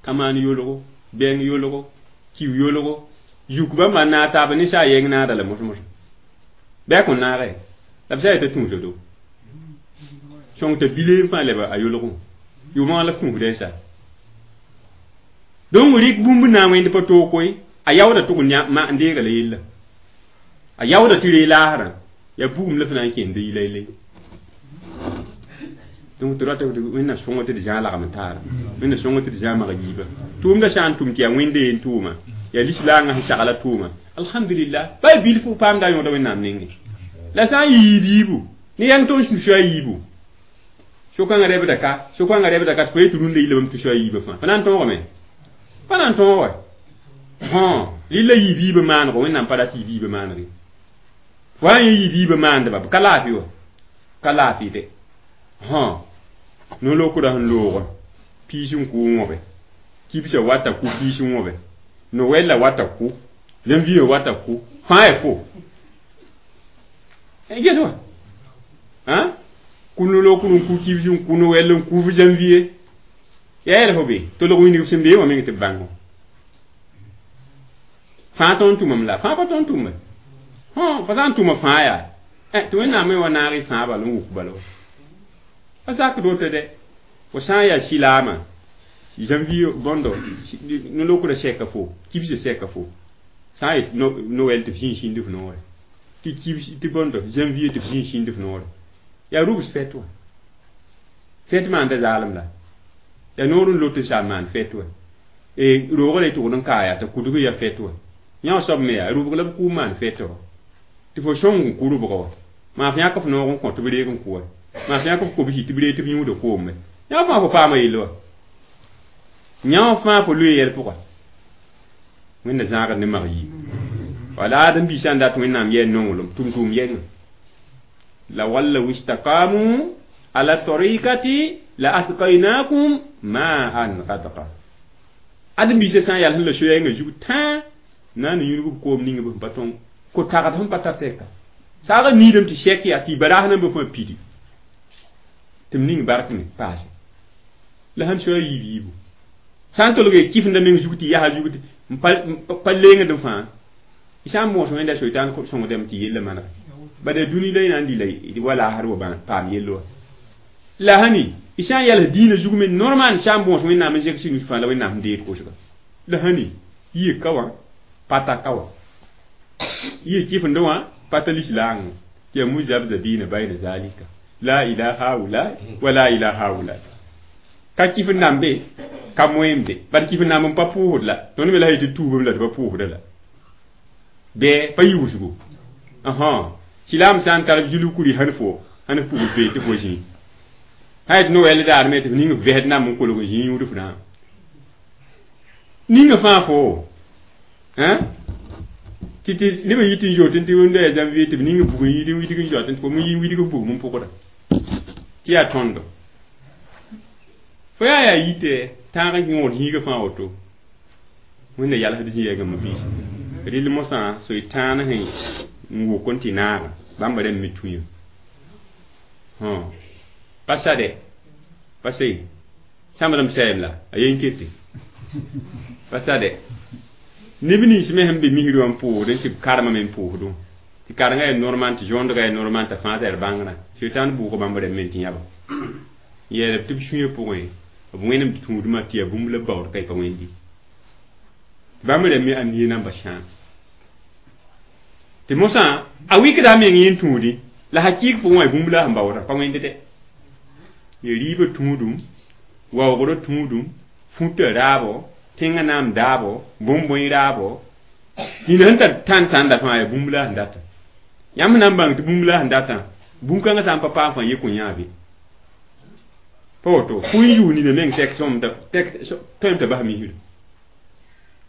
ka-maan yolgo bɛng yolgo kiu yolgo yuk bãmba n naag taaba ne sã yɛng naada la mos-mosa bɩ a kõn naage la b sã yetã tũusa do sõng t'a bile n fãa leba a yolgẽ yʋʋmã la f tũusda y sa donc rɩk bũmb na n wẽnd pa toog koe a yaooda tʋg n deega la yella a yaooda tɩ ree laasrã yaa bugum la f na n kẽnd yi laylay donc tɩ rata wẽnna sõng tɩ d zã lagem taara wẽnna sõng tɩ d zã mag yiiba tʋʋmda sã n tʋm tɩ yaa wẽnde yen tʋʋma yaa lislaangã sẽn sagla tʋʋma alhamdulillah ba bilfu paamda a yõoda wẽnnaam nengẽ la sã n yiib yiibu ne yãng tõnd tusa a yiibu so-kãngã rebda ka so-kãngã rebda ka tɩ fo yetɩ rũndã yilla bãmb tusa a yiibã fãa pa na n tõogame pa na n tõog wa rɩla yiib yiibã maanego wẽnnaam pa rat yiib yiibã maaneg ye fo wa n yẽ yiib yiibã maandba b ka laafɩ wa ka laafɩ de No-lokdã sẽn loogã piis n kʋ n wõbe, kibsã wata kʋ piis n wõbe, Noël la wata kʋ, janvier wata kʋ, fãa ya fo ges wã kʋ no-lokd n kʋ kibs n kʋ Noël n kʋ janvier yaa yɛl fo be tolg wĩndg sẽn bee wã meng tɩ b bãngo fãa tõnd tʋmam la fãa pa tõnd tʋme fo sã n tʋma fãa yaa tɩ Wẽnnaam me wa naag y fãa bal n wʋk bala wa pa sakd woto dɛ fo sã n yaa silaamã janvier bõndo no-lokdã sɛka fo kibsã sɛka fo sã n yet Noël tɩ f zĩig sĩnd f noore tɩ kibs tɩ bõndo janvier tɩ f zĩig sĩnd f noore yaa rubs fɛt wã fɛt maanda zaalem la yaa noor n lot n sa n maan fɛt wã roogã la y tʋgd n kaa yaa t'a kudg ya fɛt wã yã soab me yaa rubg la b kʋ n maan fɛt wã tɩ fo sõng n kʋ rubga wã maa f yãk f noog n kõ tɩ b reeg n kʋ wã maa f yãk f kobsi tɩ b reeg tɩ b yũuda koome yã fãa fo paama yell wã yã fãa fo loe yɛl pʋga Wẽnda zãagd ne mag yiib wala Adem-biig sã n dat Wẽnnaam yɛɛ nonglem tʋm-tʋʋm yɛngã la wallaw istaqamu ala tariqati la asqaynakum ma'an ghadqa Adem-biisã sã n yal sẽn la soyɛngã zug tãa na n yũudg b koom ning b sẽn pa tõng ko tagd sẽn pa tar tɛka saagã niidame tɩ sɛk yaa tɩ baraas nambã fãa pidi tɩ m ning bark me paase la sãn soa yiib yiibu sã n tolg kifenda meng zug tɩ yaa zug n pa lengd fãa y sã n moos Wẽnda soitan sõngdame tɩ yella manega bada dũni la y na n dɩ la wa laasd wa paam yell wa la sãni y sã n yals dĩinã zug me normal sã n bõos Wẽnnaam n zẽg sɩnus fãa la Wẽnnaam sẽn deed kosga la sãni yɩ ka wã pata ka wã yɩ kifend wã pata lislaang tɩ yaa muzabzabina bayna zalika la ila haula wa la ila haula ka kifend nan be ka moem be bad kifend nan n pa pʋʋsd la tõnd me la yetɩ tuubem la tɩ pa pʋʋsda la bɩ pa yʋʋsgo silaam sã n tar zulukuri sãn fo sãn f pugl pee tɩ fo zĩ sã yet Noël daar me tɩ f ning f vɛsd namb n kolg n zĩ yũud f rãam ninga fãa fo tɩ tɩ nebã yit n zoot tɩ wẽnda yaa janvier tɩ b ning bug n yid n widg n zoat tɩ fo me yi widg f bugum n pʋgda tɩ yaa tõndo fo yaa yaa yitɛ tãag n yõod zĩigã fãa woto Wẽnda yalsd zĩ-yɛɛgã ma-biisi rɩl mosã soy-tãan sẽn n wʋk n tɩ naaga bãmba rãmb me tũyã pa sa dɛ pa se sãmbdame sɛɛm la a yen kete pa sa dɛ neb nins me sẽn be misr wã n pʋʋsd n tɩ b karemã me n pʋʋsdẽ tɩ karengã yaa normal tɩ zõondgã yaa normal t'a fãa t'a bãngrã soetãan bʋʋga bãmb rãmb me tɩ yãba n yeelb tɩ b sũyã pʋgẽ b wẽnem tɩ tũudmã tɩ yaa bũmb la b baood ka y pa wẽndi tɩ bãmb rãmb me ãmb namba sãam tɩ mosã a wikda a meng yẽn tũudi la hakɩɩg pʋgẽ wã bũmb la sẽn baoodã pa wẽnd dɛ ya rɩɩbã tũudum waoogrã tũudum fũtã raabo tẽngã naam daabo bõn-bõe raabo nina sẽn tar tãn-tãnda fãa yaa bũmb la sẽn data yãmb na n bãng tɩ bũmb la sẽn datã bũn-kãngã sã n pa paam fãa ye kõ yãabe pa woto fũ n yʋʋ nina meng tɛk sõm tõem t'a bas misrã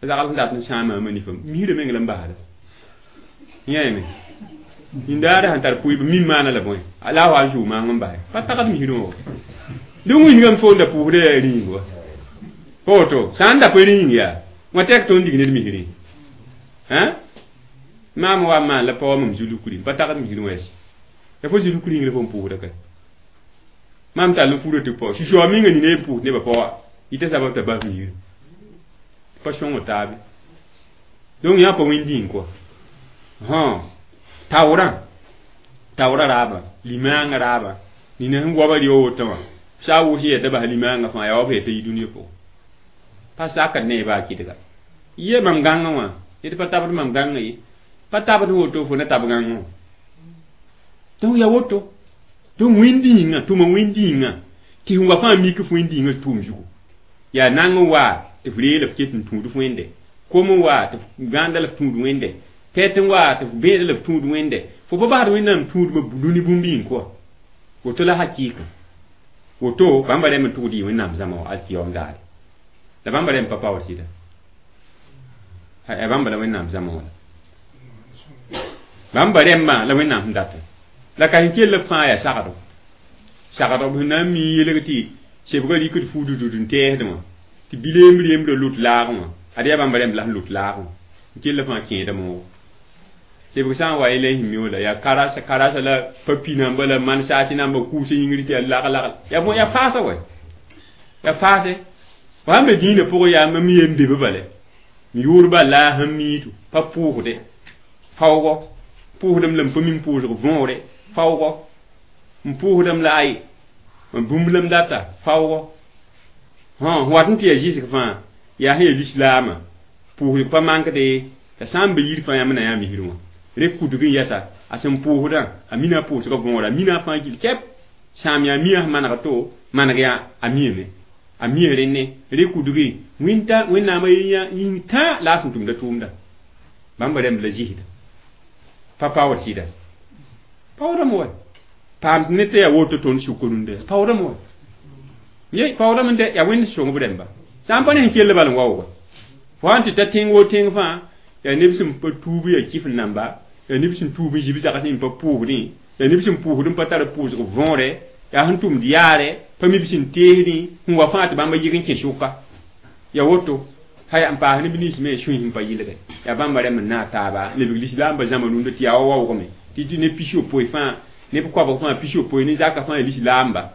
zagl sẽn dat n sãama ma nifã misrã meng la n basda yãame nindaara sẽn tar pʋɩb mim maana la bõe la a wa n zʋʋ maang n basɛ pa tagd misrã wã dẽ wĩnigame fo n da pʋʋsda yaa rĩing wa pa woto sã n da pa rĩing yaa wã tɛk tõnd dig ned misrẽ maam wa n maan la pa wa mam zulukri pa tagd misrẽ wã yɛs ya fo zulukri yĩng la fo n pʋʋsda ka maam tall n fura tɩ pao sũ-soa minga nina y pʋʋs nebã pa wa yita sabab t'a bas misrã pa sõng taabe donc yã pa wẽnd kɔa taoorã taoorã raaba limaangã raaba nina sẽn goaba rɩ woto wã sã a wʋs yɛta bas limaangã fãa yaa wa b yɛta yi dũniyã pʋgẽ pa sakd ne baa kɩdga ye mam gãngã wã yetɩ pa tabd mam gãngã ye pa tabd woto fo na tab gãngã wã donc yaa woto donc wẽnd yĩnga tʋma wẽnd yĩnga tɩ sẽn wa fãa mik f wẽnd yĩngã tʋʋm zugu yaa nang n waa tɩ f reela f ket n tũud f wẽnde kom n waa tɩ f gãanda la f tũud wẽnde pɛt n waa tɩ f bẽeda la f tũud wẽnde fo pa basd Wẽnnaam tũudmã dũni bũmb yĩng kɔa woto la hakɩɩka woto bãmba rẽmb n tʋgd yɩ Wẽnnaam zãma wã alkiyom daare la bãmba rẽmb pa paood sɩda bãmba la Wẽnnaam zãma wã la bãmba rẽmbã la Wẽnnaam sẽn datã la ka sẽn kell b fãa yaa sagdo Sagdg b sẽn na n mi n yelg tɩ sebgã rɩkd fuududud n tɛɛsdẽ wã tɩ bi-reemb reembrã lut laagẽ wã ad yaa bãmba rẽmb la sẽn lut laagẽ wã n kell fãa kẽeda moogo sebg sã n wa yẽ la y sẽn mi wala yaa karasa karasa la papi namba la man-saasi namba kʋʋs yĩngr tɩ yaa lag-lag yaa bõe yaa faasa wɛ yaa faase fo sãn be dĩinã pʋgẽ yaa mam ye n be be bale n yʋʋr bal la a sẽn miidu pa pʋʋsde faoogɔ pʋʋsdame la m pa mi n pʋʋsg võore faoogɔ n pʋʋsdame la ay bũmb la m data faoogɔ sẽn wat n tɩ yaa zɩsg fãa yaa sẽn yaa lislaamã pʋʋsg pa mankde t'a sã n be yir fãa yãmb na yã misr wã re kudg n yɛsa a sẽn pʋʋsdã a mina a pʋʋsgã võora a mina a fãa gill kɛp sãam yaa mia sẽn maneg to maneg yaa a miame a mia rẽne re kudgi wẽnta wẽnnaamã yĩng tã la a sẽn tʋmda tʋʋmda bãmba rẽmb la zɩsda pa paood sɩda paoodame wa paam ne tɩ yaa woto tõnd sʋk rũndã paoodame wa ye paoodame n de yaa wẽnd sõngb rẽmba sã n pa ne sẽn kell bal n waooga fo sãn tɩ ta tẽng wo tẽng fãa yaa neb sẽn pa tuub yaa kɩf n namba yaa neb sẽn tuub n zib zags n pa pʋʋsdẽ yaa neb sẽn pʋʋsd n pa tar pʋʋsg võore yaa sẽn tʋmd yaare pa mi b sẽn teesdẽ sẽn wa fãa tɩ bãmba yɩg n kẽ sʋka ya woto haya n paas neb nins me sũy sẽn pa yɩlge yaa bãmba rẽmb n naag taaba lebg lislaambã zãma rũndã tɩ yaa wa waoogme tɩ ne pis-yopoe fãa neb koabg fãa pis-yopoe ne zaka fãa lislaamba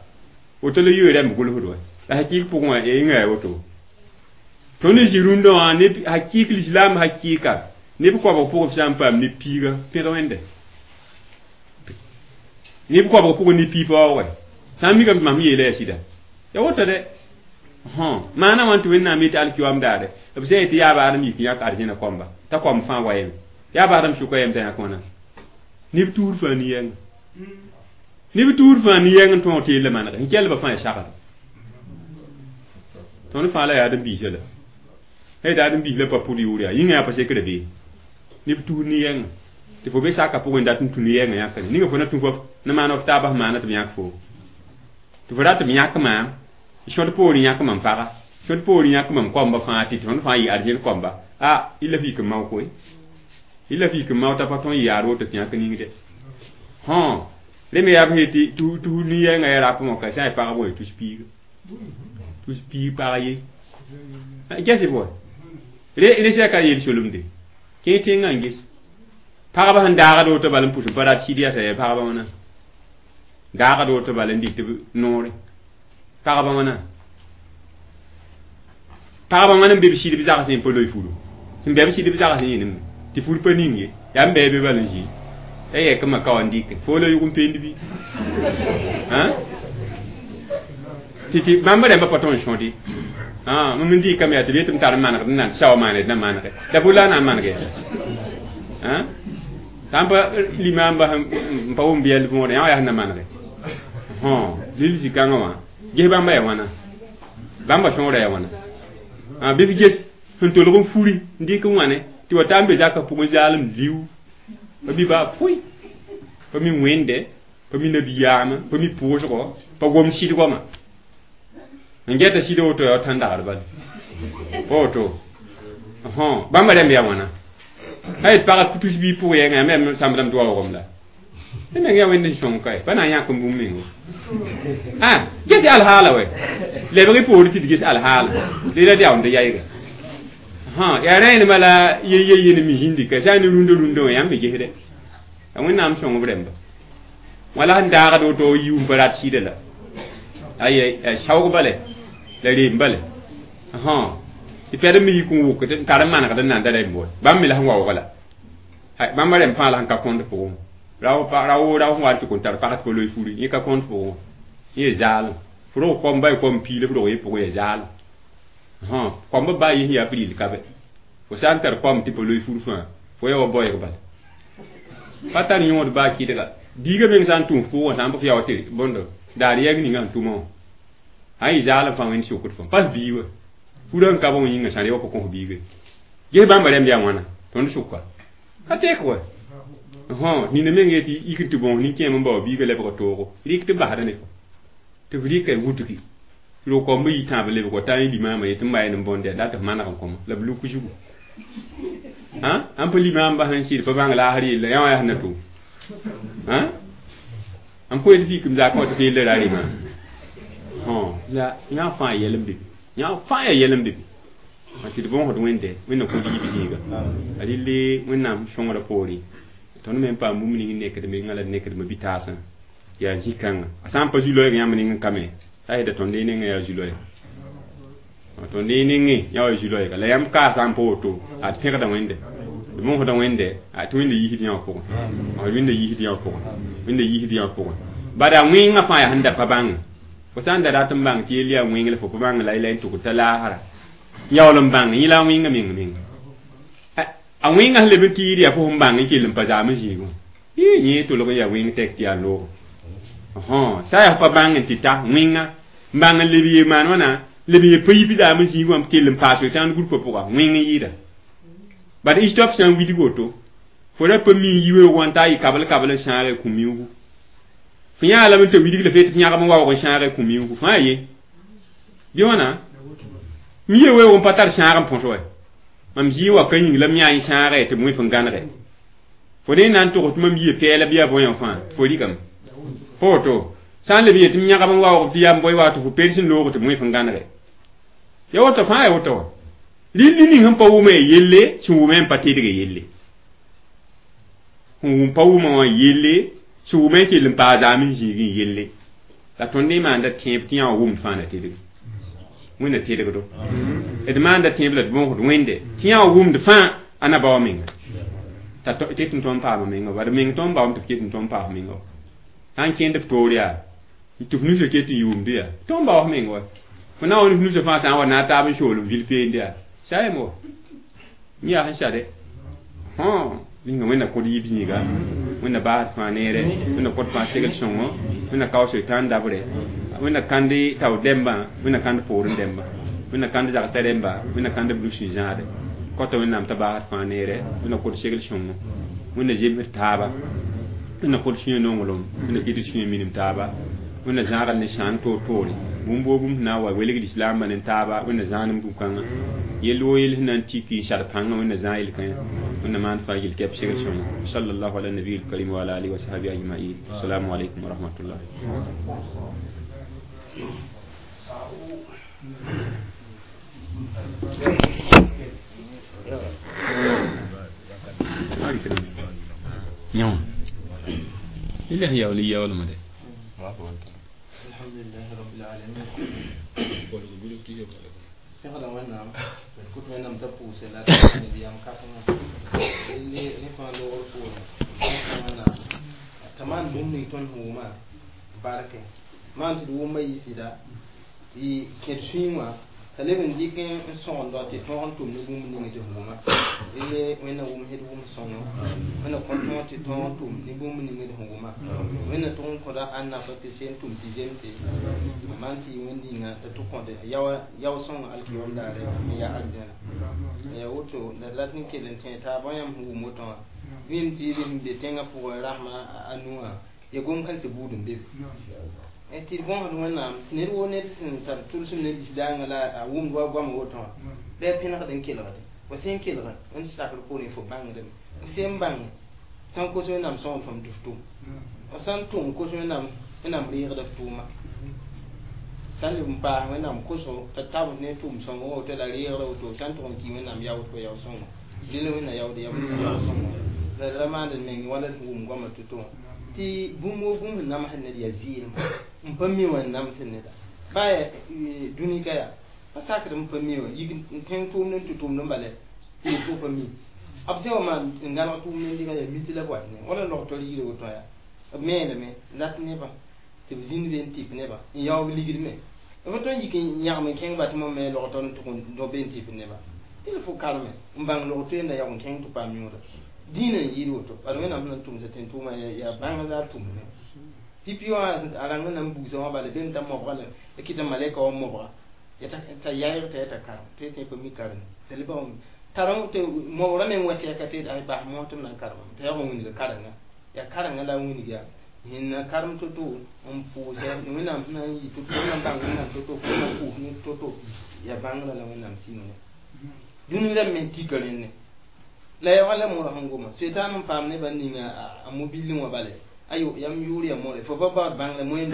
woto la yoe rẽmb gʋlsd wa la hakɩɩk pʋgẽ wã yĩnga yaa woto tõnd zĩ rũndã wã neb hakɩɩk lislaam hakɩɩka neb koabg pʋgẽ f sã n paam ne piiga pẽg wẽnde neb koabg pʋgẽ ne pii pa waoogɛ sã n mikame tɩ mam yeela yaa sɩda ya woto dɛ maana wãn tɩ wẽnnaam yetɩ alkiyoam daare b sã yetɩ yaa baadem yik yãk arzẽna kɔmba t'a kɔm fãa wa yeme yaa baadem sʋka yem t'a yãk wãna neb tuur fãa ne-yɛnga neb tuur fãa ne-yɛng n tõog tɩ yella manege n kellba fãa ya sagd tõnd fãa la yaa adem-biisã la sã yetɩ adem-biis la pa pʋd yʋʋr yaa yĩngã yaa pa sekra bee neb tuur ne-yɛnga tɩ fo be saka pʋgẽ dat n tũ ne-yɛngã yãkre ninga fo na tũ fo na maan f taabã sẽn maana tɩ b yãk fo tɩ fo rat b yãk maam sõd poorẽ yãk mam paga sõd poorẽ yãk mam koamba fãa tɩ tõnd fãa yɩ arzẽn koamba a y la f yik n mao koe y la f yik n mao t'a pa tõe n yaad woto tɩ yãk ningde hõ re me yaa b sẽn tɩ tus nin-yɛngã yaa rap wã ka sã n pagb wã tus piiga tus piig pag ye ges b wa re sã ka yel solemde kẽ tẽngã n ges pagba sẽn daagd woto bal n pʋs n pa rat sɩd yasa yaa pagba wãna daagd woto bal n dɩk tɩ noore pagba wãna pagba wãna n be b sɩd b zags n pa loe furu sẽn bɛ b sɩd b zags yẽnem tɩ fur pa ning ye yaa n bɛɛ be bal n zĩ ya yɛk ma ka wa n dɩke fo la yʋg n peend bɩ tɩ tɩ bãmb rẽmba pa tõe n sõde mam n dɩkame yaa tɩ b yetɩ m tar n manegd n nan tɩ sa wa maaned na manege la bo la a na n maneg yaa sã n pa limaamba n pa wʋm bɩyɛl võore yã wa yaa sẽn na manege lil zĩ-kãngã wã ges bãmba yaa wãna bãmba sõora yaa wãna bɩ f ges sẽn tolg n furi n dɩk n wãne tɩ wa ta n be zakã pʋgẽ zaalem liu pa mi baa pʋɩ pa mi wẽnde pa mi nabiyaamã pa mi pʋʋsgɔ pa gom sɩdgɔmã n gɛta sɩd woto yaa tãn-dagd bala pa woto bãmba rẽmb yaa wãna a yet pag tus bii pʋg yɛngã yaa me sãmbdame tɩ waoogem la tɩ meng yaa wẽnd n sõng kae pa na n yãk n bũmb mengo ges alhaala wɛ lebg y poore tɩ d ges alhaala rela d yaoond yayga yaa rẽenema la ye ne mi zĩndi ka sã n ne rũndã rũndã wã yãmb me gesdɛ a wẽnnaam sõng b rẽmba wã la sẽn daagd woto yiu n pa rat sɩda la ay saoog bale la reem bale tɩ pɛd me yik n wʋk n tar n manegd n nan da rẽmb wa bãmb me la sẽn waoog la bãmba rẽmb fãa la sẽn ka kõnd pʋgẽ rao rao sẽn wa n tɩ kõn tar pag tɩ pa loe furi yẽ ka kõnd pʋgẽ yẽ zaalem f rog koamba y kom piila f rog yẽ pʋgẽ ya zaalem koamba baa yẽ sẽn yaa f rɩl ka bɛ fo sã n tar koam tɩ pa loe fur fãa fo ya wa baoeeg bala pa tar yõod baa kɩdga biigã meng sã n tũuf pʋgẽ sã n pa f yaoog tɩ bõndo daar yɛg ninga sẽn tʋma wã sã n yɩ zaalem fãa wẽnd sokd fãa pas bii wa furã n ka bõ yĩngã sã re wa pa kõs biiga ges bãmba rẽmb yaa wãna tõnd sʋka ka tek wa nina meng yetɩ yik n tɩ bõos nin-kẽem n bao biiga lebga toogo rɩk tɩ basda ne fo tɩ f rɩka wutgi rog koamba yi tãab lebg wa t'a yẽ limaamã yetɩ n mayẽ n bõnd yaa dat f maneg n kõma la b luk zugu ãn pa limaamba sẽn sɩd pa bãng laasr yella yã wã yaa sẽn na tʋʋm N koe tɩ fikim zaakã tɩ feel ra rɩmã la yã fãa yɛl n be yã fãa yaa yɛl n be tɩ d bõosd Wẽnde Wẽnna kõt yib zĩiga a rɩle Wẽnnaam sõngrã poore tõnd me n paam bũmb ning nekd menga la d nekdmã bitaasã yaa zĩ-kãnga a sã n pa zu-loɛɛg yãmb ning n ka me t'a yeta tõnd nengẽ yaa zu-loɛɛg tõnd nengẽ yã wa zu-loɛɛga la yãmb kaa sã n pa woto a d pẽgda Wẽnde d bõosda Wẽnde tɩ Wẽnda yiisd yã wã pʋgẽ Wẽnda yiisd yã wã pʋgẽ Wẽnda yiisd yã wã pʋgẽ bada wẽngã fãa yaa sẽn da pa bãnge fo sã n da rat n bãng tɩ yell yaa wẽng la fo pa bãng la y la n tʋgd t'a laasra yaool n bãng yẽ la a wẽngã meng meng a wẽngã sẽn leb n tɩɩd yaa fo sẽn bãng n kell n pa zaam n zĩigẽ yẽ tolg n yaa wẽng tɛk tɩ yaa loog sã yaa pa bãng n tɩ ta wẽngã n bãng n leb ye maan wãna leb ye pa yip zaam n zĩig wã kell n paas tãnd gũrpã pʋga wẽng n yɩɩda bad istop sã n widg woto fo ra pa mi yi weoog wã n ta yɩ kabl kabl n sãage kũ-miuugu fo yãa lame t'a widg la fee tɩ yãgem n waoog n sãage kũ-miuugu fãa ye bɩ wãna mi ye weoog n pa tar sãag n põs wa mam zĩig wa ka yĩng la m yã y sãage tɩ b wẽ f n gãnege fo ne na n tʋgs tɩ mam yie pɛɛla bɩ yaa bõe fãa tɩ fo rɩkame fo woto sã n leb yetɩ m yãgem n waoog tɩ yaa n boe wa tɩ fo pers n loog tɩ b wẽ f n gãnege ya woto fãa ya woto wa rĩnd ning sẽn pa wʋma yelle sẽn wʋmẽ n pa tedge yelle sẽn wʋm pa wʋma wã yelle sẽn wʋmẽ n kell n paa zaam n zĩig n yelle la tõnd ne maanda tẽeb tɩ yã wã wʋmd fãa na tedge Wẽnna tedgdo d maanda tẽeb la d bõosd Wẽnde tɩ yã wã wʋmd fãa a na bao menga t'a ket n tõnd paama menga bad meng tõnd baoom tɩ f ket n tõnd paas menga wa sã n kẽnd f toor yaa tɩ f nusã ket n yʋʋmd yaa tõnd baoos menga wa fo na wa ne f nusã fãa sã n wa na a taab n soolem vil peend yaa sayem wa yẽ yaa sẽn sade ninga Wẽnna kõt yib zĩiga Wẽnna baasd fãa neere Wẽnna kõt fãa segl sõngo Wẽnna kao soetãan dabre Wẽnna kãnd tao dɛmbã Wẽnna kãnd poorẽ dɛmbã Wẽnna kãnd zagsã rẽmba Wẽnna kãnd b nus n zãade kɔta Wẽnnaam t'a baasd fãa neere Wẽnna kõt segl sõngo Wẽnna zemsd taaba Wẽnna kõt sũyã nonglem Wẽnna kɩt sũyã minim taaba Wẽnna zãagd ne sãan toor-toore bũmb woo bũmb sẽn na n wa welgd islaambã ne taaba Wẽnna zãanem bũ-kãngã yell woo yell sẽn na n tiki n sar pãngã Wẽnna zãag yel-kãyã Wẽnna maan fãa yel kɛp segl sõngo sallallahu ala nabiy lkarim wa ala alihi wa sahbihi ajmain assalamu alaikum wa rahmatullah. Lillahi yaool yaoolmã de. الحمد لله رب العالمين. Pẽgda Wẽnnaam d kʋt Wẽnnaam t'a pʋʋse la ned yam kãsengã rẽ fãa loogr poorẽ Wẽnnaam t'a maan bũmb ning tõnd sẽn wʋma barke maan tɩ d wʋmã yɩ sɩda tɩ kẽd sũyẽ wã t'a leb n dɩk n sõgendg tɩ tõog n tʋm ne bũmb ning tɩ f wʋma rele Wẽnna wʋmsd wʋm sõngo Wẽnna kõ tõog tɩ tõog n tʋm ne bũmb ning tɩ f wʋma Wẽnna tʋg n kõda ãnna fa tɩ seen tʋm tɩ zemse maan tɩ yɩ wẽnd yĩnga t'a tʋ kõde yao sõng alkiyom daare n yaa arzãna ya woto la d rat n kell n tẽ taabã yãmb sẽn wʋm woto wã vɩɩm tɩ sẽn be tẽngã pʋgẽ rasmã a nuwã ya gom-kãensã buud n be tɩ d bõosd Wẽnnaam tɩ ned woo ned sẽn tar tʋlsem ne lislaangã la a wʋmd wa goamã woto wã la ya pẽnegd n kelgde fo sẽn kelg n sakr poorẽ fo bãngdame sẽn bãng sã n kos Wẽnnaam sõgd fõm tɩ f tʋm f sã n tʋm kos Wẽnnaam Wẽnnaam reegda f tʋʋma sã n leb n paas Wẽnnaam kosgo t'a tabs ne tʋʋm sõngo woto la reegra woto sã n tʋg n kɩ Wẽnnaam yaood fo yao sõngo dẽla Wẽnna yaood yao sõngo la d ra maand d meng wala d wʋm goamã to-to wã tɩ bũmb woo bũmb sẽn namsd ned yaa zɩɩlem n pa mi wã n namsd neda baa ya dũni ka yaa pa sakd n pa mi wã yik n tẽng tʋʋmd n tʋ tʋʋmd n bala tɩ fo pa mi b sẽn wa maan n gãneg tʋʋmd n dɩga yaa miti la b wat ne wala log-tol yire woto yaa b meelame rat nebã tɩ b zĩnd be n tɩp nebã n yaoog ligd me b tõe n yik n yãgem n kẽng ba tɩ mo me log-tol n tʋg n do be n tɩp nebã tɩ fo karme n bãng log-toeenda yaoog n kẽng tɩ paam yõoda dĩinã n yɩɩd woto bad Wẽnnaam sẽn na n tʋmsa tẽn tʋʋmã yaa bãng la a tʋmne pipi wã a rãng na n bugsã wã bala bem t'a mobga la kɩta malɛka wã mobga t'a yaɩg t'a yaa t'a karem tɩ tẽ pa mi karem t'a lebg tarem tɩ mobgrã meng wa sɛka tɩ ay bas moos tɩ m na n karema t'a yaoog n wilg karenga yaa karenga la a wilg yaa sẽn karem to-to n pʋʋsɛ Wẽnnaam sẽn na n yɩ to-to na n bãng Wẽnnaam to-to fo na pʋʋs ne to-to yaa bãngrã la Wẽnnaam sɩngne dũni rãmb me tika rẽnne la ya wala moorã sẽn goma setan n paam nebã ninga a mobilẽ wã bale Ayo yam yʋʋr ya more fo pa baood bãng la moẽm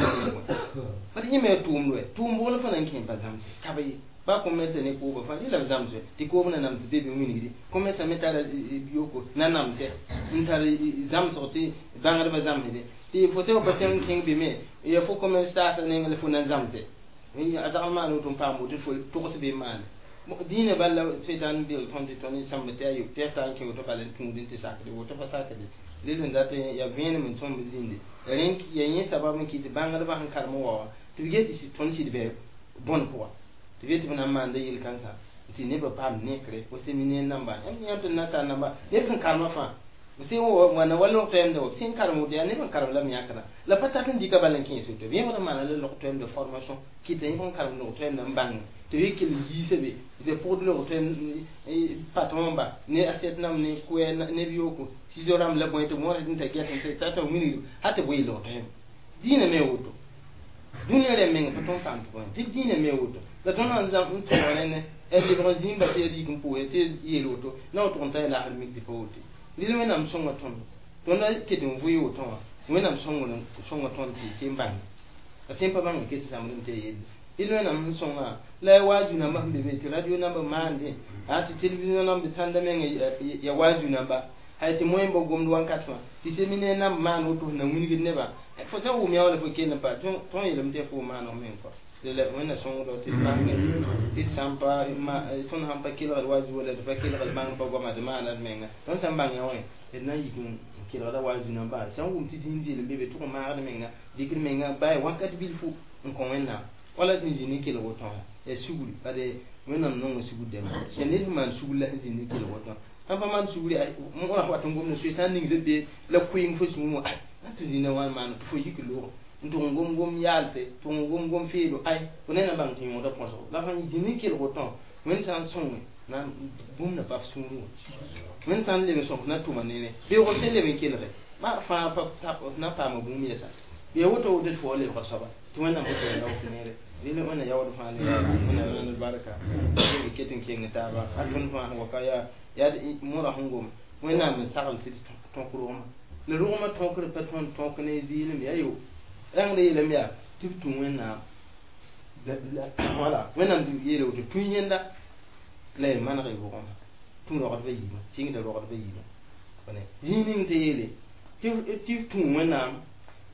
bat yẽ me ya tʋʋmd wɛ tʋʋm bʋgl fã na n kẽ pa zãmse ka ba ye ba commerce ne kooba fãa rẽ la b zãmsɛ tɩ koob na nams be be wingdi commerce me tara yoko na namsɛ n tar zãmsg tɩ bãngdbã zãmsde tɩ fo sẽn pa tẽng kẽng be me ya fo commerce taasã neng la fo na n zãmsɛ a zagl maan woto n paam woto fo togs be n maane dĩinã bal la setan bel tõnd tɩ tõnd sãmb tɩ ayo tɩ ya tar n kẽ woto bala n tũud n tɩ sakde woto pa sakde rel sẽn dat ya vẽenem n tõmb zĩnde rẽ ya yẽ sabab n kɩt bãngdbã sẽn karem wa wã tɩ b get tɩ tõnd sɩd bɩ bõn pʋga tɩ b yet tɩ b na n maanda yel-kãnsã tɩ nebã paam nekre fo séminaire namba yãmb tɩ nasaar namba ned sẽn karemã fãa sẽn wãna wa log toɛɛmda wa sẽn karem woto yaa neb n karem la b yãkda la pa tat n dɩka bala n kẽes woto b yẽbd n maana la log toɛɛmda formation kɩta yẽb n karem log toɛɛmda n bãng tɩ b yɩ kell yiisa be tɩ pʋgd log toɛɛm patron ba ne assiette nam ne kʋɛ neb yooko ciseau rãmb la bõe tɩ wõr n ta gɛs n ta t'a wilgd hal tɩ bʋ yɩ log toɛɛm dĩinã me woto dũniyã rẽ meng pa tõnd paam tɩ bõe tɩ dĩinã me woto la tõnd sãn zãm n tõog rẽnd lebg n zĩig ba tɩ ya rik n pʋʋse tɩ yeel woto na wa tʋg n ta ya laasd mik tɩ pa woto rɩl wẽnnaam sõnga tõnd tõnd ket n vʋɩ woto wã wẽnnaam sõnga tõnd tɩ sẽn bãng a sẽn pa bãng ket zãmd n tɩ ya yelle rɩl wẽnnaam n sõnga la ya wazu namba sẽn be be tɩ radio namba maande a tɩ télévision namba sãnda meng ya wazu namba hay tɩ moẽn ba gomd wãnkat fãa tɩ séminaire namba maan woto sẽn na wilgd nebã fo sẽn wʋm yã wala fo kell n pa tõnd yeelame tɩ ya fo maan f meng kɔa la wẽnna sõngdo tɩ bãng tɩ d sãn pa tõnd sãn pa kelgd wa zuo la d pa kelgd bãng pa goama d maana d menga tõnd sãn bãng yã wã d na n yik n kelgda wa zu namba sãn wʋm tɩ dĩin zeel n be be tʋg n maagd menga dɩkd menga baa wakat bilfu n kõ wẽnnaam wala sẽn zĩnd n kelg woto wã ya sugri bade wẽnnaam nonga sugr dɛmba ya ned sẽn maan sugr la sẽn zĩnd n kelg woto sãn pa maan sugri wã wat n gomda soe sã n ningd be la koeeng fo sũur wã tɩ zĩnda wãn maana tɩ fo yik loog n tʋg n gom gom yaalse tʋg n gom gom feedo ay fo ne na bãng tɩ yõoda põsgo la fãn zĩnd n kelg woto wẽnd sã n sõnge na bũmb na pa f sũurẽ wã wẽnd sã n leb n sõk na tʋma nere beoog sẽn leb n kelge ma fãa na paama bũmb yɛsa ya woto woto tɩ fo wa lebga soaba tɩ wẽnnaam woto ya yaood neere rɩl wẽnna yaood fãa ne wẽnna wẽnd barka b ket n keng taaba a tõnd fãa sẽn wa ka yaa yaa mõra sẽn gom wẽnnaam n sagl tɩ tõk rogmã la rogmã tõkr pa tõnd tõk ne zɩɩlem yaa yo rãngd yeelame yaa tɩ b tũ wẽnnaam wala wẽnnaam yeela woto tũ yẽnda la y maneg y rogmã tũ rogdbã yiibã sɩngda rogdbã yiibã zĩig ning tɩ yeele tɩ b tũ wẽnnaam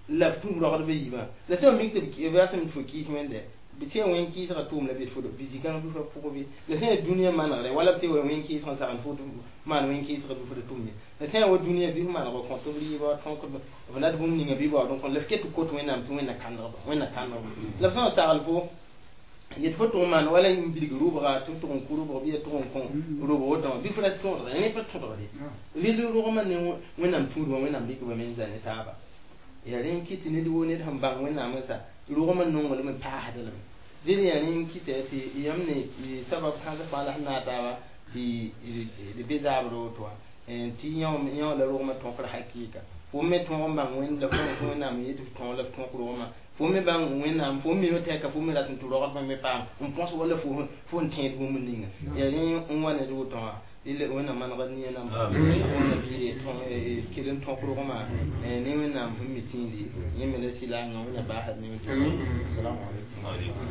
la f tũ rogdbã yiibã la sẽn mik tɩ b ratame tɩ fo kɩɩs wẽnde b sẽn wẽn kɩɩsgã tʋʋm la be fo bɩ zĩ-kãng fo pʋgẽ bɩ la sẽn yaa dũniyã manegre wala b sẽn wa wẽn kɩɩsgã sagn fo maan wẽn kɩɩsgã bɩ fo da tʋm ye la sẽn yaa wa dũniyã bɩ f maneg kõ tɩ b rɩɩba tõk b lat bũmb ninga bɩ baood n kõ la f ket tɩ kot wẽnnaam tɩ wẽnna kãndgba wẽnna kãndgba la b sã n sagl fo yet fo tʋg n maan wala n bilg rʋbga tɩ tʋg n kʋ rʋbg bɩ ya tʋg n kõ rʋbg woto wã bɩ fo ra tõodga rẽ pa tõdgde rɩl rogmã ne wẽnnaam tũudmã wẽnnaam rɩkba me n za ne taaba ya rẽ n kɩt ned woo ned sẽn bãng wẽnnaam n sa rogmã nonglem n paasd lame dẽd yaa rẽ n kɩta tɩ yãmb ne sabab kãens fãa la sẽn naag taaba tɩ d be zaabr woto wã tɩ yão la rogmã tõkr hakɩɩka fo me tõog n bãng wẽnd la fo wẽnnaam yetɩ f tõog la f tõk rogmã fo me bãng wẽnnaam fo mime tɛka fo me rat n tɩ rogdbã me paam n põs wala fo n tẽed bũmb ninga yaa rẽ n wa ned woto wã rɩl wẽnnaam manegd nia namba wẽnna bɩ kell n tõk rogmã ne wẽnnaam sẽn mi tĩindi yẽ me la sɩlaangã wẽnna baasd ne woto assalamu alaikum.